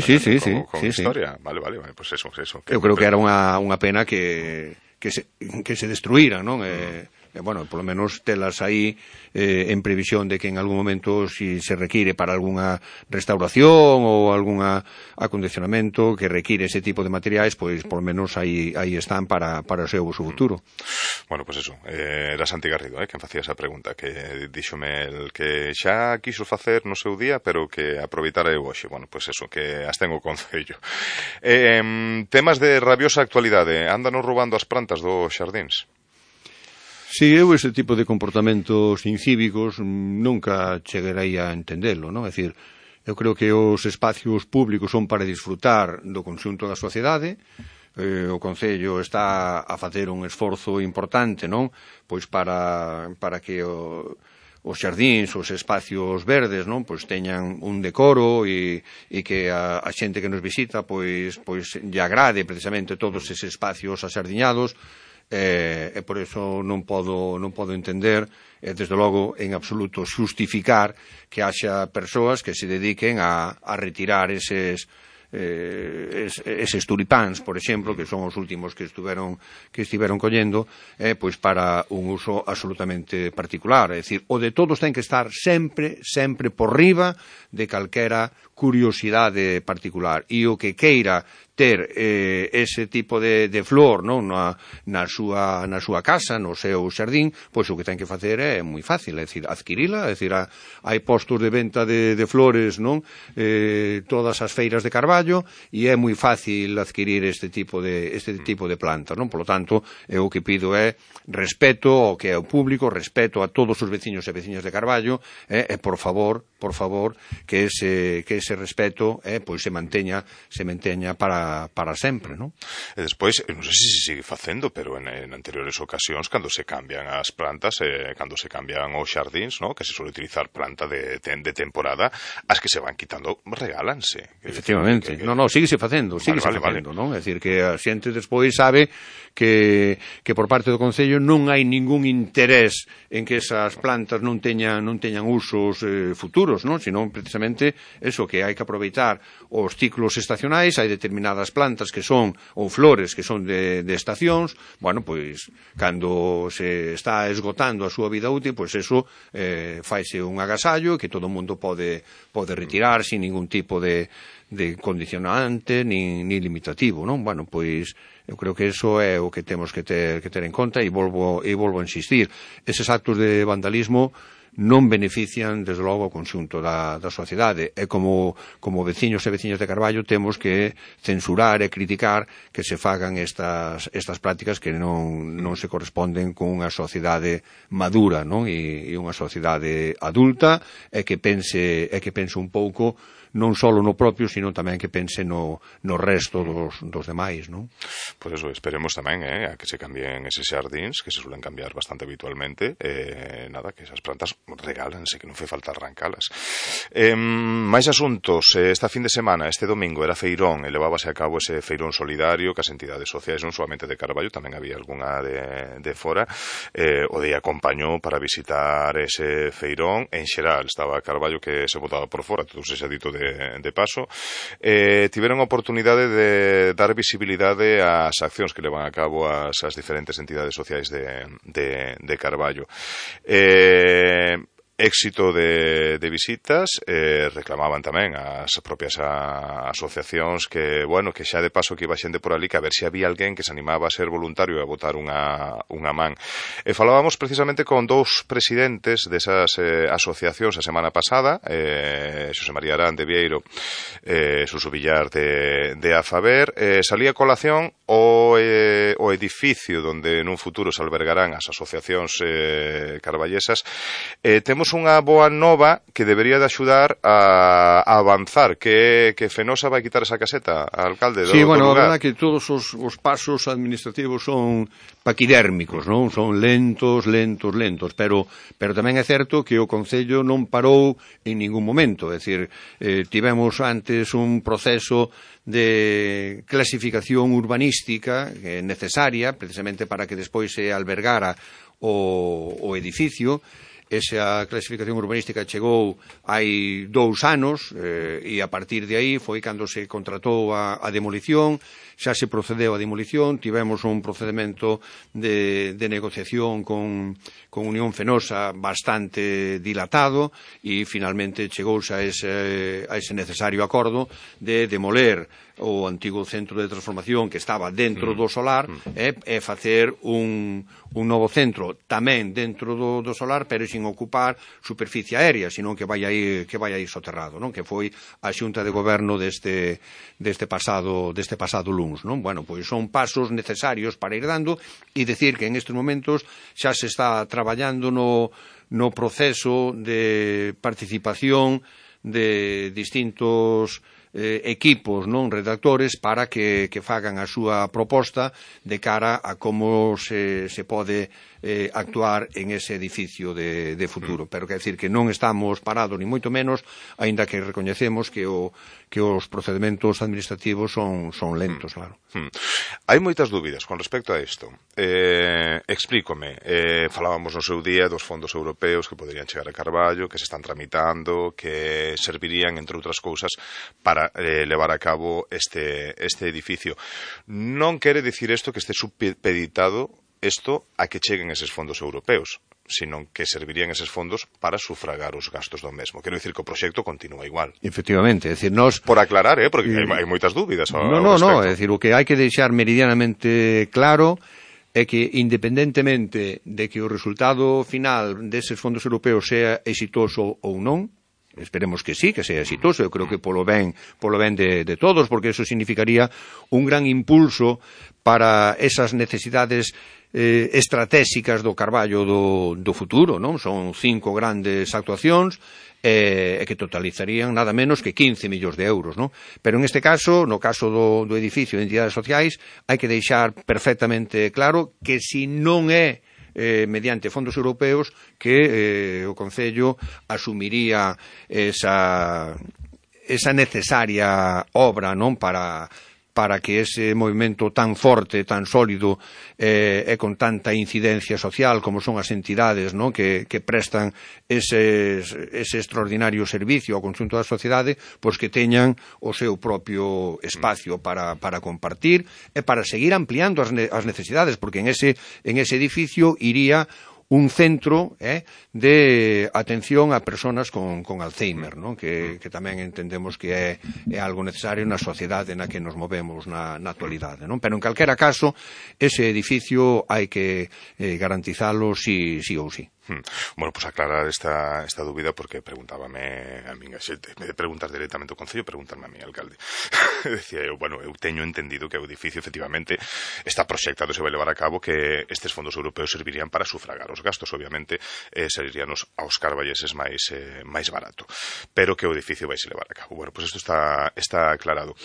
Con historia. Vale, pois eso. Eu creo que era unha pena que se destruíran, non? Bueno, polo menos telas aí en previsión de que en algún momento, si se require para algunha restauración ou algún acondicionamento que require ese tipo de materiais, pois polo menos aí están para o seu uso futuro. Bueno, pois eso, era Santi Garrido quen facía esa pregunta, que díxome el que xa quiso facer no seu día, pero que aproveitara eu hoxe. Bueno, pois eso, que as ten o Concello. Temas de rabiosa actualidade, andanos roubando as plantas dos xardíns? Si, eu ese tipo de comportamentos incívicos nunca chegarei a entendelo, non? É dicir, eu creo que os espacios públicos son para disfrutar do conxunto da sociedade. O Concello está a facer un esforzo importante, non? Pois para que os xardíns, os espacios verdes, non? Pois teñan un decoro e que a xente que nos visita pois lle agrade precisamente todos eses espacios axardiñados. E por iso non podo entender, desde logo, en absoluto xustificar que haxa persoas que se dediquen a retirar eses tulipáns, por exemplo, que son os últimos que estiveron collendo, pois para un uso absolutamente particular. É dicir, o de todos ten que estar sempre por riba de calquera curiosidade particular. E o que queira ter ese tipo de flor, non, na súa casa, no seu xardín, pois o que ten que facer é moi fácil, é dicir, adquirila, é dicir, hai postos de venta de flores, non, todas as feiras de Carballo, e é moi fácil adquirir este tipo de plantas, non? Por lo tanto, o que pido é respeto ao que é o público, respeto a todos os veciños e veciñas de Carballo, e por favor, que ese respeto pois se manteña para sempre, non? E despois, non sei se sigue facendo, pero en anteriores ocasións, cando se cambian as plantas, cando se cambian os xardíns, non? Que se suele utilizar planta de temporada, as que se van quitando regálanse. Efectivamente. Non, síguese facendo, non? É dicir, que a xente despois sabe que por parte do Concello non hai ningún interés en que esas plantas non teñan usos futuros, non? Senón precisamente eso, que hai que aproveitar os ciclos estacionais. Hai determinadas plantas que son, ou flores que son de estacións. Bueno, pois, cando se está esgotando a súa vida útil, pois eso faise un agasallo que todo o mundo pode retirar sin ningún tipo de condicionante ni limitativo, non? Bueno, pois eu creo que eso é o que temos que ter en conta, e volvo a insistir. Eses actos de vandalismo non benefician, desde logo, o conxunto da sociedade. E como veciños e veciñas de Carballo temos que censurar e criticar que se fagan estas prácticas que non se corresponden con unha sociedade madura, non? E unha sociedade adulta, e que pense un pouco non só no propio, sino tamén que pense no resto dos demais, non? Pois eso, esperemos tamén a que se cambien eses xardíns, que se suelen cambiar bastante habitualmente, nada, que esas plantas regálanse, que non fai falta arrancalas. Máis asuntos, esta fin de semana, este domingo, era feirón, e levábase a cabo ese feirón solidario que as entidades sociais, non solamente de Carballo, tamén había algunha de fora, o día acompañou para visitar ese feirón. En xeral, estaba Carballo que se botaba por fora, todo ese dito de paso. Tiveron a oportunidade de dar visibilidade ás accións que levan a cabo as diferentes entidades sociais de Carballo. éxito de visitas, reclamaban tamén as propias asociacións que, bueno, que xa de paso que iba xente por ali, que a ver se había alguén que se animaba a ser voluntario e a botar unha man. E falábamos precisamente con dous presidentes desas asociacións a semana pasada, Xosé María Arán de Vieiro, Suso Villar de Afaber. Salía a colación o edificio donde nun futuro se albergarán as asociacións carballesas. Temos unha boa nova que debería de axudar a avanzar, que Fenosa vai quitar esa caseta ao alcalde do lugar. Sí, bueno, a verdade que todos os pasos administrativos son paquidérmicos, non? Son lentos, pero tamén é certo que o Concello non parou en ningún momento, é dicir, tivemos antes un proceso de clasificación urbanística necesaria, precisamente para que despois se albergara o edificio. Esa clasificación urbanística chegou hai 2 anos e a partir de aí foi cando se contratou a demolición, xa se procedeu a demolición, tivemos un procedimento de negociación con Unión Fenosa bastante dilatado e finalmente chegouse a ese necesario acordo de demoler o antigo centro de transformación que estaba dentro do solar e facer un novo centro tamén dentro do solar, pero sin ocupar superficie aérea, senón que vai aí soterrado, non? Que foi a Xunta de Goberno deste pasado luns, non? Bueno, pois son pasos necesarios para ir dando e decir que en estes momentos xa se está traballando no proceso de participación de distintos equipos, non redactores, para que fagan a súa proposta de cara a como se pode actuar en ese edificio de futuro. Pero quer decir que non estamos parados, ni moito menos, aínda que recoñecemos que os procedementos administrativos son lentos, claro. Hai moitas dúbidas con respecto a isto. Explícome. Falábamos no seu día dos fondos europeos que poderían chegar a Carballo, que se están tramitando, que servirían, entre outras cousas, para levar a cabo este edificio. Non quere dicir isto que este supeditado a que cheguen eses fondos europeos, senón que servirían eses fondos para sufragar os gastos do mesmo. Quero dicir que o proxecto continúa igual. Efectivamente, é dicir, nós... Por aclarar, porque hai moitas dúbidas ao respecto. No, é dicir, o que hai que deixar meridianamente claro é que, independentemente de que o resultado final deses fondos europeos sea exitoso ou non, esperemos que sí, que sea exitoso, eu creo que polo ben de todos, porque eso significaría un gran impulso para esas necesidades estratégicas do Carballo do futuro, non? Son 5 grandes actuacións que totalizarían nada menos que 15 millóns de euros, non? Pero en este caso, no caso do edificio de entidades sociais, hai que deixar perfectamente claro que si non é mediante fondos europeos que o Concello asumiría esa necesaria obra, non, para que ese movimento tan forte, tan sólido e con tanta incidencia social como son as entidades, non, que prestan ese extraordinario servicio ao conxunto da sociedade, pois que teñan o seu propio espacio para compartir e para seguir ampliando as necesidades, porque en ese edificio iría un centro de atención a persoas con Alzheimer, non? Que tamén entendemos que é algo necesario na sociedade na que nos movemos na actualidade, non? Pero en calquera caso, ese edificio hai que garantizalo sí ou sí. Bueno, pues aclarar esta dúbida, porque preguntábame a min a xente, en vez de preguntar directamente ao Concello, preguntarme a mí, alcalde. Decía eu, bueno, eu teño entendido que o edificio efectivamente está proxectado, se vai levar a cabo, que estes fondos europeos servirían para sufragar os gastos, obviamente servirían aos carballeses máis barato, pero que o edificio vai se levar a cabo. Bueno, pues isto está aclarado.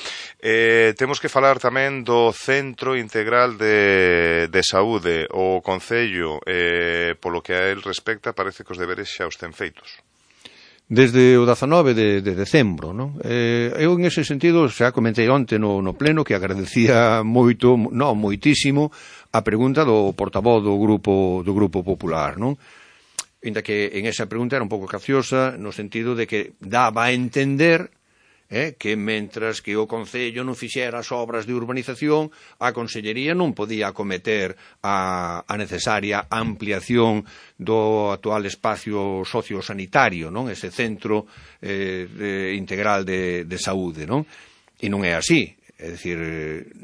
Temos que falar tamén do Centro Integral de Saúde. O Concello, polo que a él respecta, parece que os deberes xa os ten feitos. Desde o 19 de decembro, non? Eu, en ese sentido, xa comentei onte no pleno que agradecía moitísimo a pregunta do portavoz do Grupo Popular, non? Ainda que en esa pregunta era un pouco capciosa, no sentido de que daba a entender que mentras que o Concello non fixera as obras de urbanización, a Consellería non podía acometer a necesaria ampliación do actual espacio sociosanitario, non? Ese centro integral de saúde, non? E non é así. É dicir,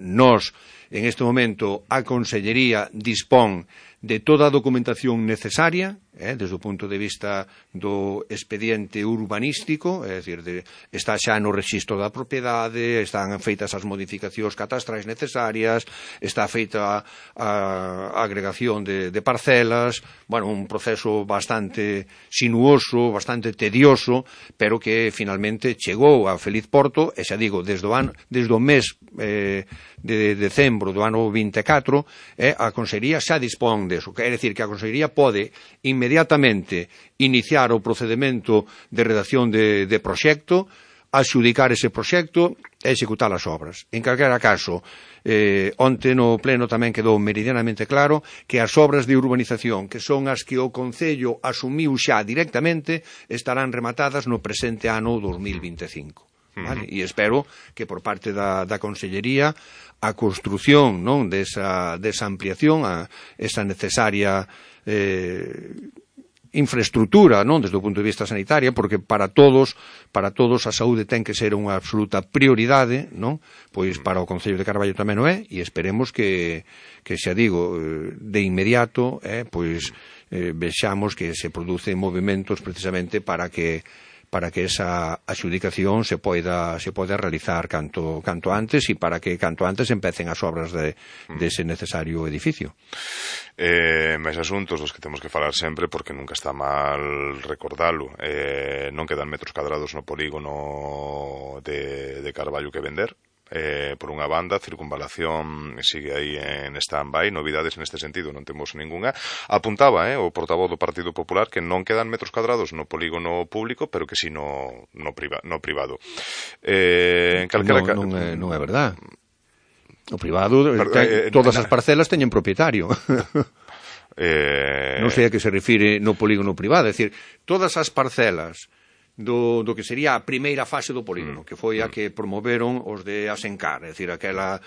nós, en este momento, a Consellería dispón de toda a documentación necesaria, desde o punto de vista do expediente urbanístico, é dicir, está xa no rexistro da propiedade, están feitas as modificacións catastrais necesarias, está feita a agregación de parcelas, bueno, un proceso bastante sinuoso, bastante tedioso, pero que finalmente chegou a feliz porto, e xa digo, desde o mes de decembro do ano 24, a Consellería xa dispón deso, quer decir que a Consellería pode inmediatamente iniciar o procedemento de redacción de proxecto, adxudicar ese proxecto e executar as obras. En calquera caso, onte no pleno tamén quedou meridianamente claro que as obras de urbanización, que son as que o Concello asumiu xa directamente, estarán rematadas no presente ano 2025. Vale? E espero que por parte da Consellería a construción, non, desa ampliación, esa necesaria infraestructura, non, desde o punto de vista sanitario, porque para todos a saúde ten que ser unha absoluta prioridade, non? Pois para o Concello de Carballo tamén o é, e esperemos que xa digo, de inmediato, pois vexamos que se producen movimentos precisamente para que esa adxudicación se poida realizar canto antes e para que canto antes empecen as obras dese necesario edificio. Máis asuntos dos que temos que falar sempre, porque nunca está mal recordalo. Non quedan metros cadrados no polígono de Carballo que vender. Por unha banda, circunvalación sigue aí en stand-by, novidades neste sentido non temos ningunha. Apuntaba o portavoz do Partido Popular que non quedan metros cadrados no polígono público, pero que si no privado. Non é verdad. O privado, todas as parcelas teñen propietario. Non sei a que se refire no polígono privado, é dicir, todas as parcelas do que sería a primeira fase do polígono, que foi a que promoveron os de Asencar, é dicir, aquela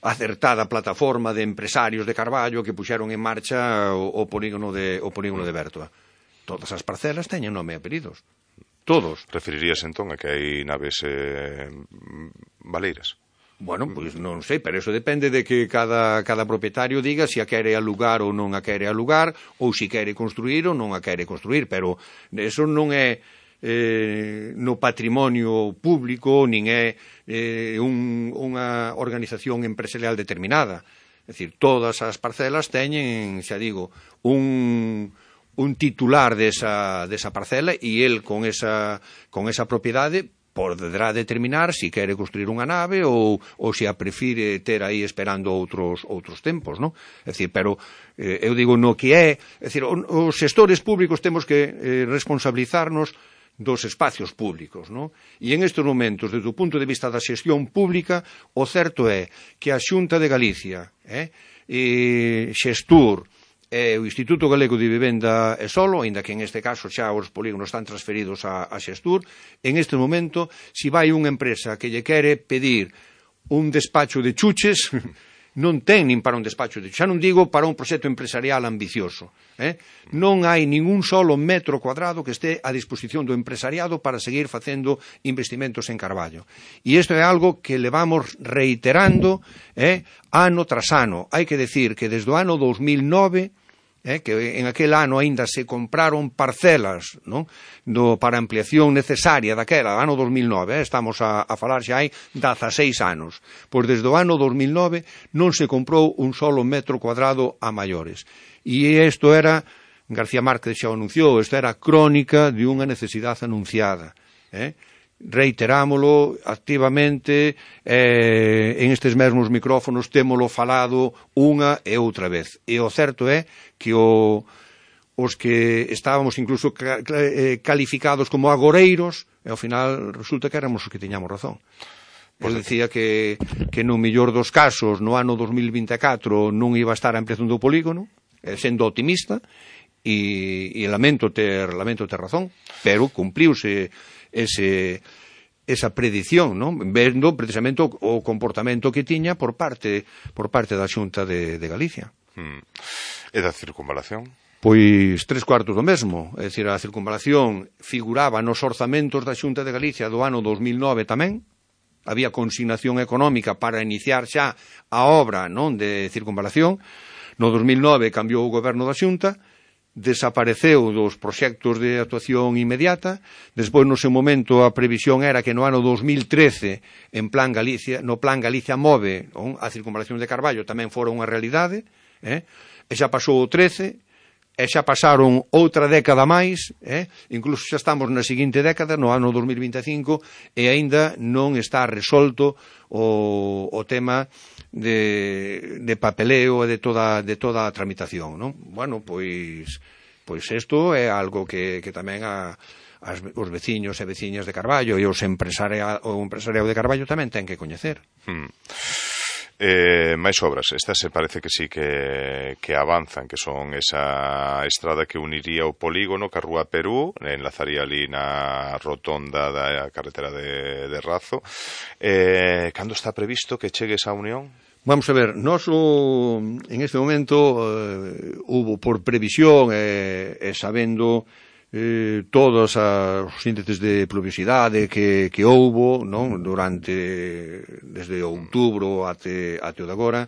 acertada plataforma de empresarios de Carballo que puxeron en marcha o polígono de Bertoa. Todas as parcelas teñen nome e apelidos. Todos. Referirías entón a que hai naves baleiras? Bueno, pois non sei, pero eso depende de que cada propietario diga se a quere alugar ou non a quere alugar, ou se quere construir ou non a quere construir, pero eso non é no patrimonio público, nin é unha organización empresarial determinada. É dicir, todas as parcelas teñen, xa digo, un titular desa parcela e el con esa propiedade poderá determinar se quere construir unha nave ou se a prefire ter aí esperando outros tempos, non? É dicir, pero eu digo no que é dicir, os xestores públicos temos que responsabilizarnos dos espacios públicos, non? E en estes momentos, desde o punto de vista da xestión pública, o certo é que a Xunta de Galicia e Xestur e o Instituto Galego de Vivenda e Solo, aínda que en este caso xa os polígonos están transferidos a Xestur, en este momento, se vai unha empresa que lle quere pedir un despacho de chuches, non ten nin para un despacho de chuches, xa non digo para un proxecto empresarial ambicioso. Non hai ningún solo metro cuadrado que este a disposición do empresariado para seguir facendo investimentos en Carballo. E isto é algo que levamos reiterando ano tras ano. Hai que decir que desde o ano 2009 que en aquel ano aínda se compraron parcelas, non? Para ampliación necesaria daquela, ano 2009, estamos a falar xa hai 16 anos. Pois desde o ano 2009 non se comprou un solo metro cuadrado a maiores. E isto era, García Márquez xa o anunciou, isto era crónica de unha necesidade anunciada. Reiterámolo activamente, en estes mesmos micrófonos témolo falado unha e outra vez. E o certo é que os que estábamos incluso calificados como agoreiros, e ao final resulta que éramos os que tiñamos razón. Eu dicía que no mellor dos casos, no ano 2024 non iba a estar a ampliación do polígono, sendo optimista, e lamento ter razón, pero cumpliuse ese predición, non? Vendo precisamente o comportamento que tiña por parte da Xunta de Galicia. E da circunvalación? Pois 3/4 do mesmo, é dicir, a circunvalación figuraba nos orzamentos da Xunta de Galicia do ano 2009 tamén, había consignación económica para iniciar xa a obra, non, de circunvalación. No 2009 cambiou o goberno da Xunta, desapareceu dos proxectos de actuación inmediata. Despois, no seu momento, a previsión era que no ano 2013, no Plan Galicia Move, a circunvalación de Carballo tamén fora unha realidade, e xa pasou o 13, e xa pasaron outra década máis, incluso xa estamos na seguinte década, no ano 2025, e aínda non está resolto o tema de papeleo e de toda a tramitación, non? Bueno, pois isto é algo que tamén os veciños e veciñas de Carballo e o empresariado de Carballo tamén ten que coñecer. Máis obras, estas se parece que sí que avanzan, que son esa estrada que uniría o polígono ca Rúa Perú, enlazaría ali na rotonda da carretera de Razo. Cando está previsto que chegue esa unión? Vamos a ver, en este momento hubo por previsión e sabendo todos os índices de pluviosidade que houbo, non, desde outubro até o de agora,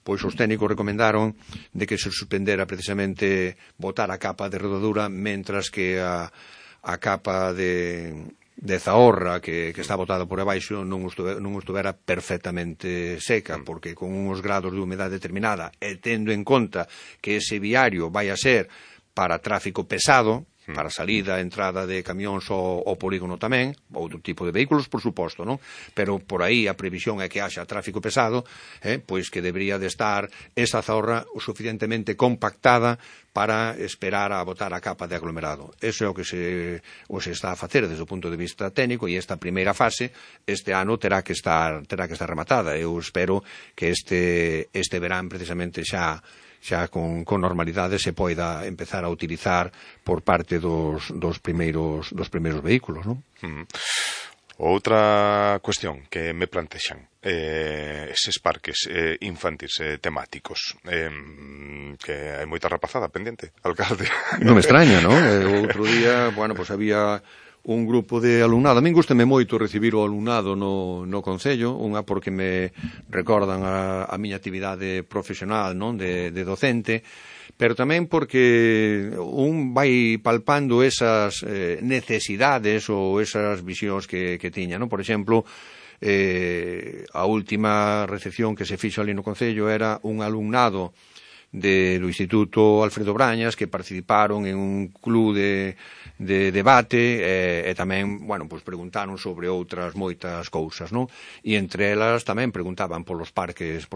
pois os técnicos recomendaron de que se suspendera precisamente botar a capa de rodadura, mentras que a capa de Zahorra que está botada por abaixo non estuvera perfectamente seca, porque con uns grados de humedade determinada e tendo en conta que ese viario vai a ser para tráfico pesado, para salida, entrada de camións ao polígono tamén, outro tipo de vehículos, por suposto, non? Pero por aí a previsión é que haxa tráfico pesado, pois que debería de estar esa Zahorra o suficientemente compactada para esperar a botar a capa de aglomerado. Eso é o que se está a facer desde o punto de vista técnico, e esta primeira fase este ano terá que estar rematada. Eu espero que este verán precisamente xa con normalidade se poida empezar a utilizar por parte dos primeiros vehículos, non? Outra cuestión que me plantexan, eses parques infantis temáticos, que hai moita rapazada pendente, alcalde. Non me extraña, non? Outro día, pois había un grupo de alumnado. A min gústame moito recibir o alumnado no Concello, unha porque me recordan a miña actividade profesional, non, de docente, pero tamén porque un vai palpando esas necesidades ou esas visións que tiña, non? Por exemplo, a última recepción que se fixo ali no Concello era un alumnado do Instituto Alfredo Brañas que participaron en un club de debate e tamén, pois preguntaron sobre outras moitas cousas, non? E entre elas tamén preguntaban polos parques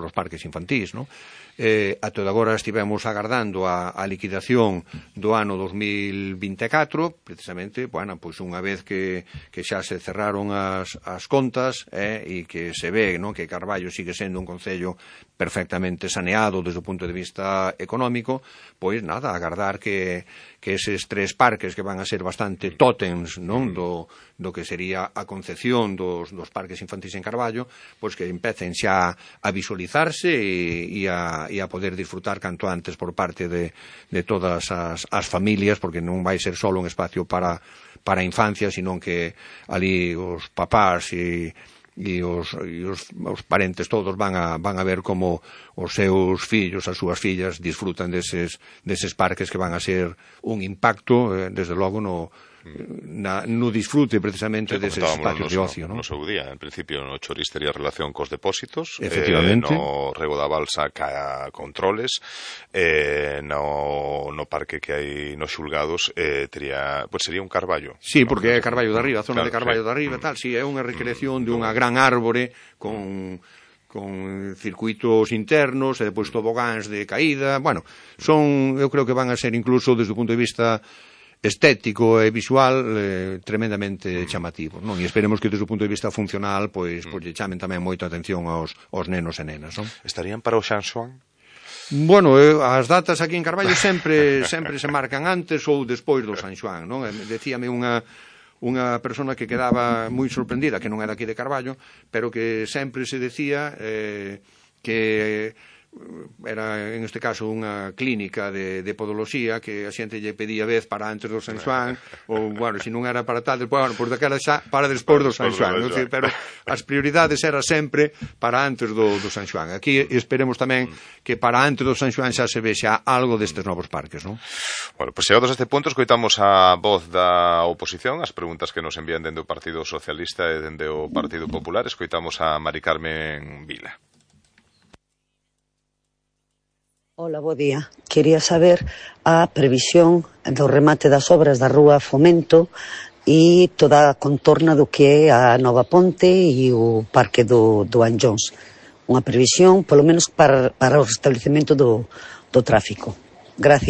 infantís, non? Até agora estivemos agardando a liquidación do ano 2024, precisamente, pois unha vez que xa se cerraron as contas e que se ve, non, que Carballo sigue sendo un concello perfectamente saneado desde o punto de vista económico, pois nada, agardar que eses 3 parques que van a ser bastante tótems, non, do que sería a concepción dos parques infantís en Carballo, pois que empecen xa a visualizarse e a poder disfrutar canto antes por parte de todas as familias, porque non vai ser só un espacio para a infancia, sino que ali os papás e os parentes todos van a ver como os seus fillos, as súas fillas disfrutan deses parques que van a ser un impacto, desde logo, no disfrute precisamente deses espacios de ocio, non? No seu día, en principio, no Chorís tería relación cos depósitos, efectivamente, no Rego da Balsa ca controles, no parque que hai nos xulgados sería un Carballo. Sí, porque é Carballo de Arriba, a zona de Carballo de Arriba, tal, si é unha recreación de unha gran árbore con circuitos internos e depois tobogáns de caída. Eu creo que van a ser incluso desde o punto de vista estético e visual tremendamente chamativos, non? E esperemos que desde o punto de vista funcional pois lle chamen tamén moita atención aos nenos e nenas, non? Estarían para o San Xoán? As datas aquí en Carballo sempre se marcan antes ou despois do San Xoán, non? Decíame unha unha persona que quedaba moi sorprendida, que non era aquí de Carballo, pero que sempre se decía que era, en este caso, unha clínica de podoloxía, que a xente lle pedía vez para antes do San Xoán, ou, bueno, se non era para tal, bueno, por daquela xa para despois do San Xoán, pero as prioridades era sempre para antes do San Xoán. Aquí esperemos tamén que para antes do San Xoán xa se vexa algo destes novos parques, non? Bueno, pues chegados a este punto, escoitamos a voz da oposición, as preguntas que nos envían dende o Partido Socialista e dende o Partido Popular. Escoitamos a Mari Carmen Vila. Hola, bo día. Quería saber a previsión do remate das obras da Rúa Fomento e toda a contorna do que é a nova ponte e o parque do Anllóns. Unha previsión, polo menos, para o restablecemento do tráfico. Gracias.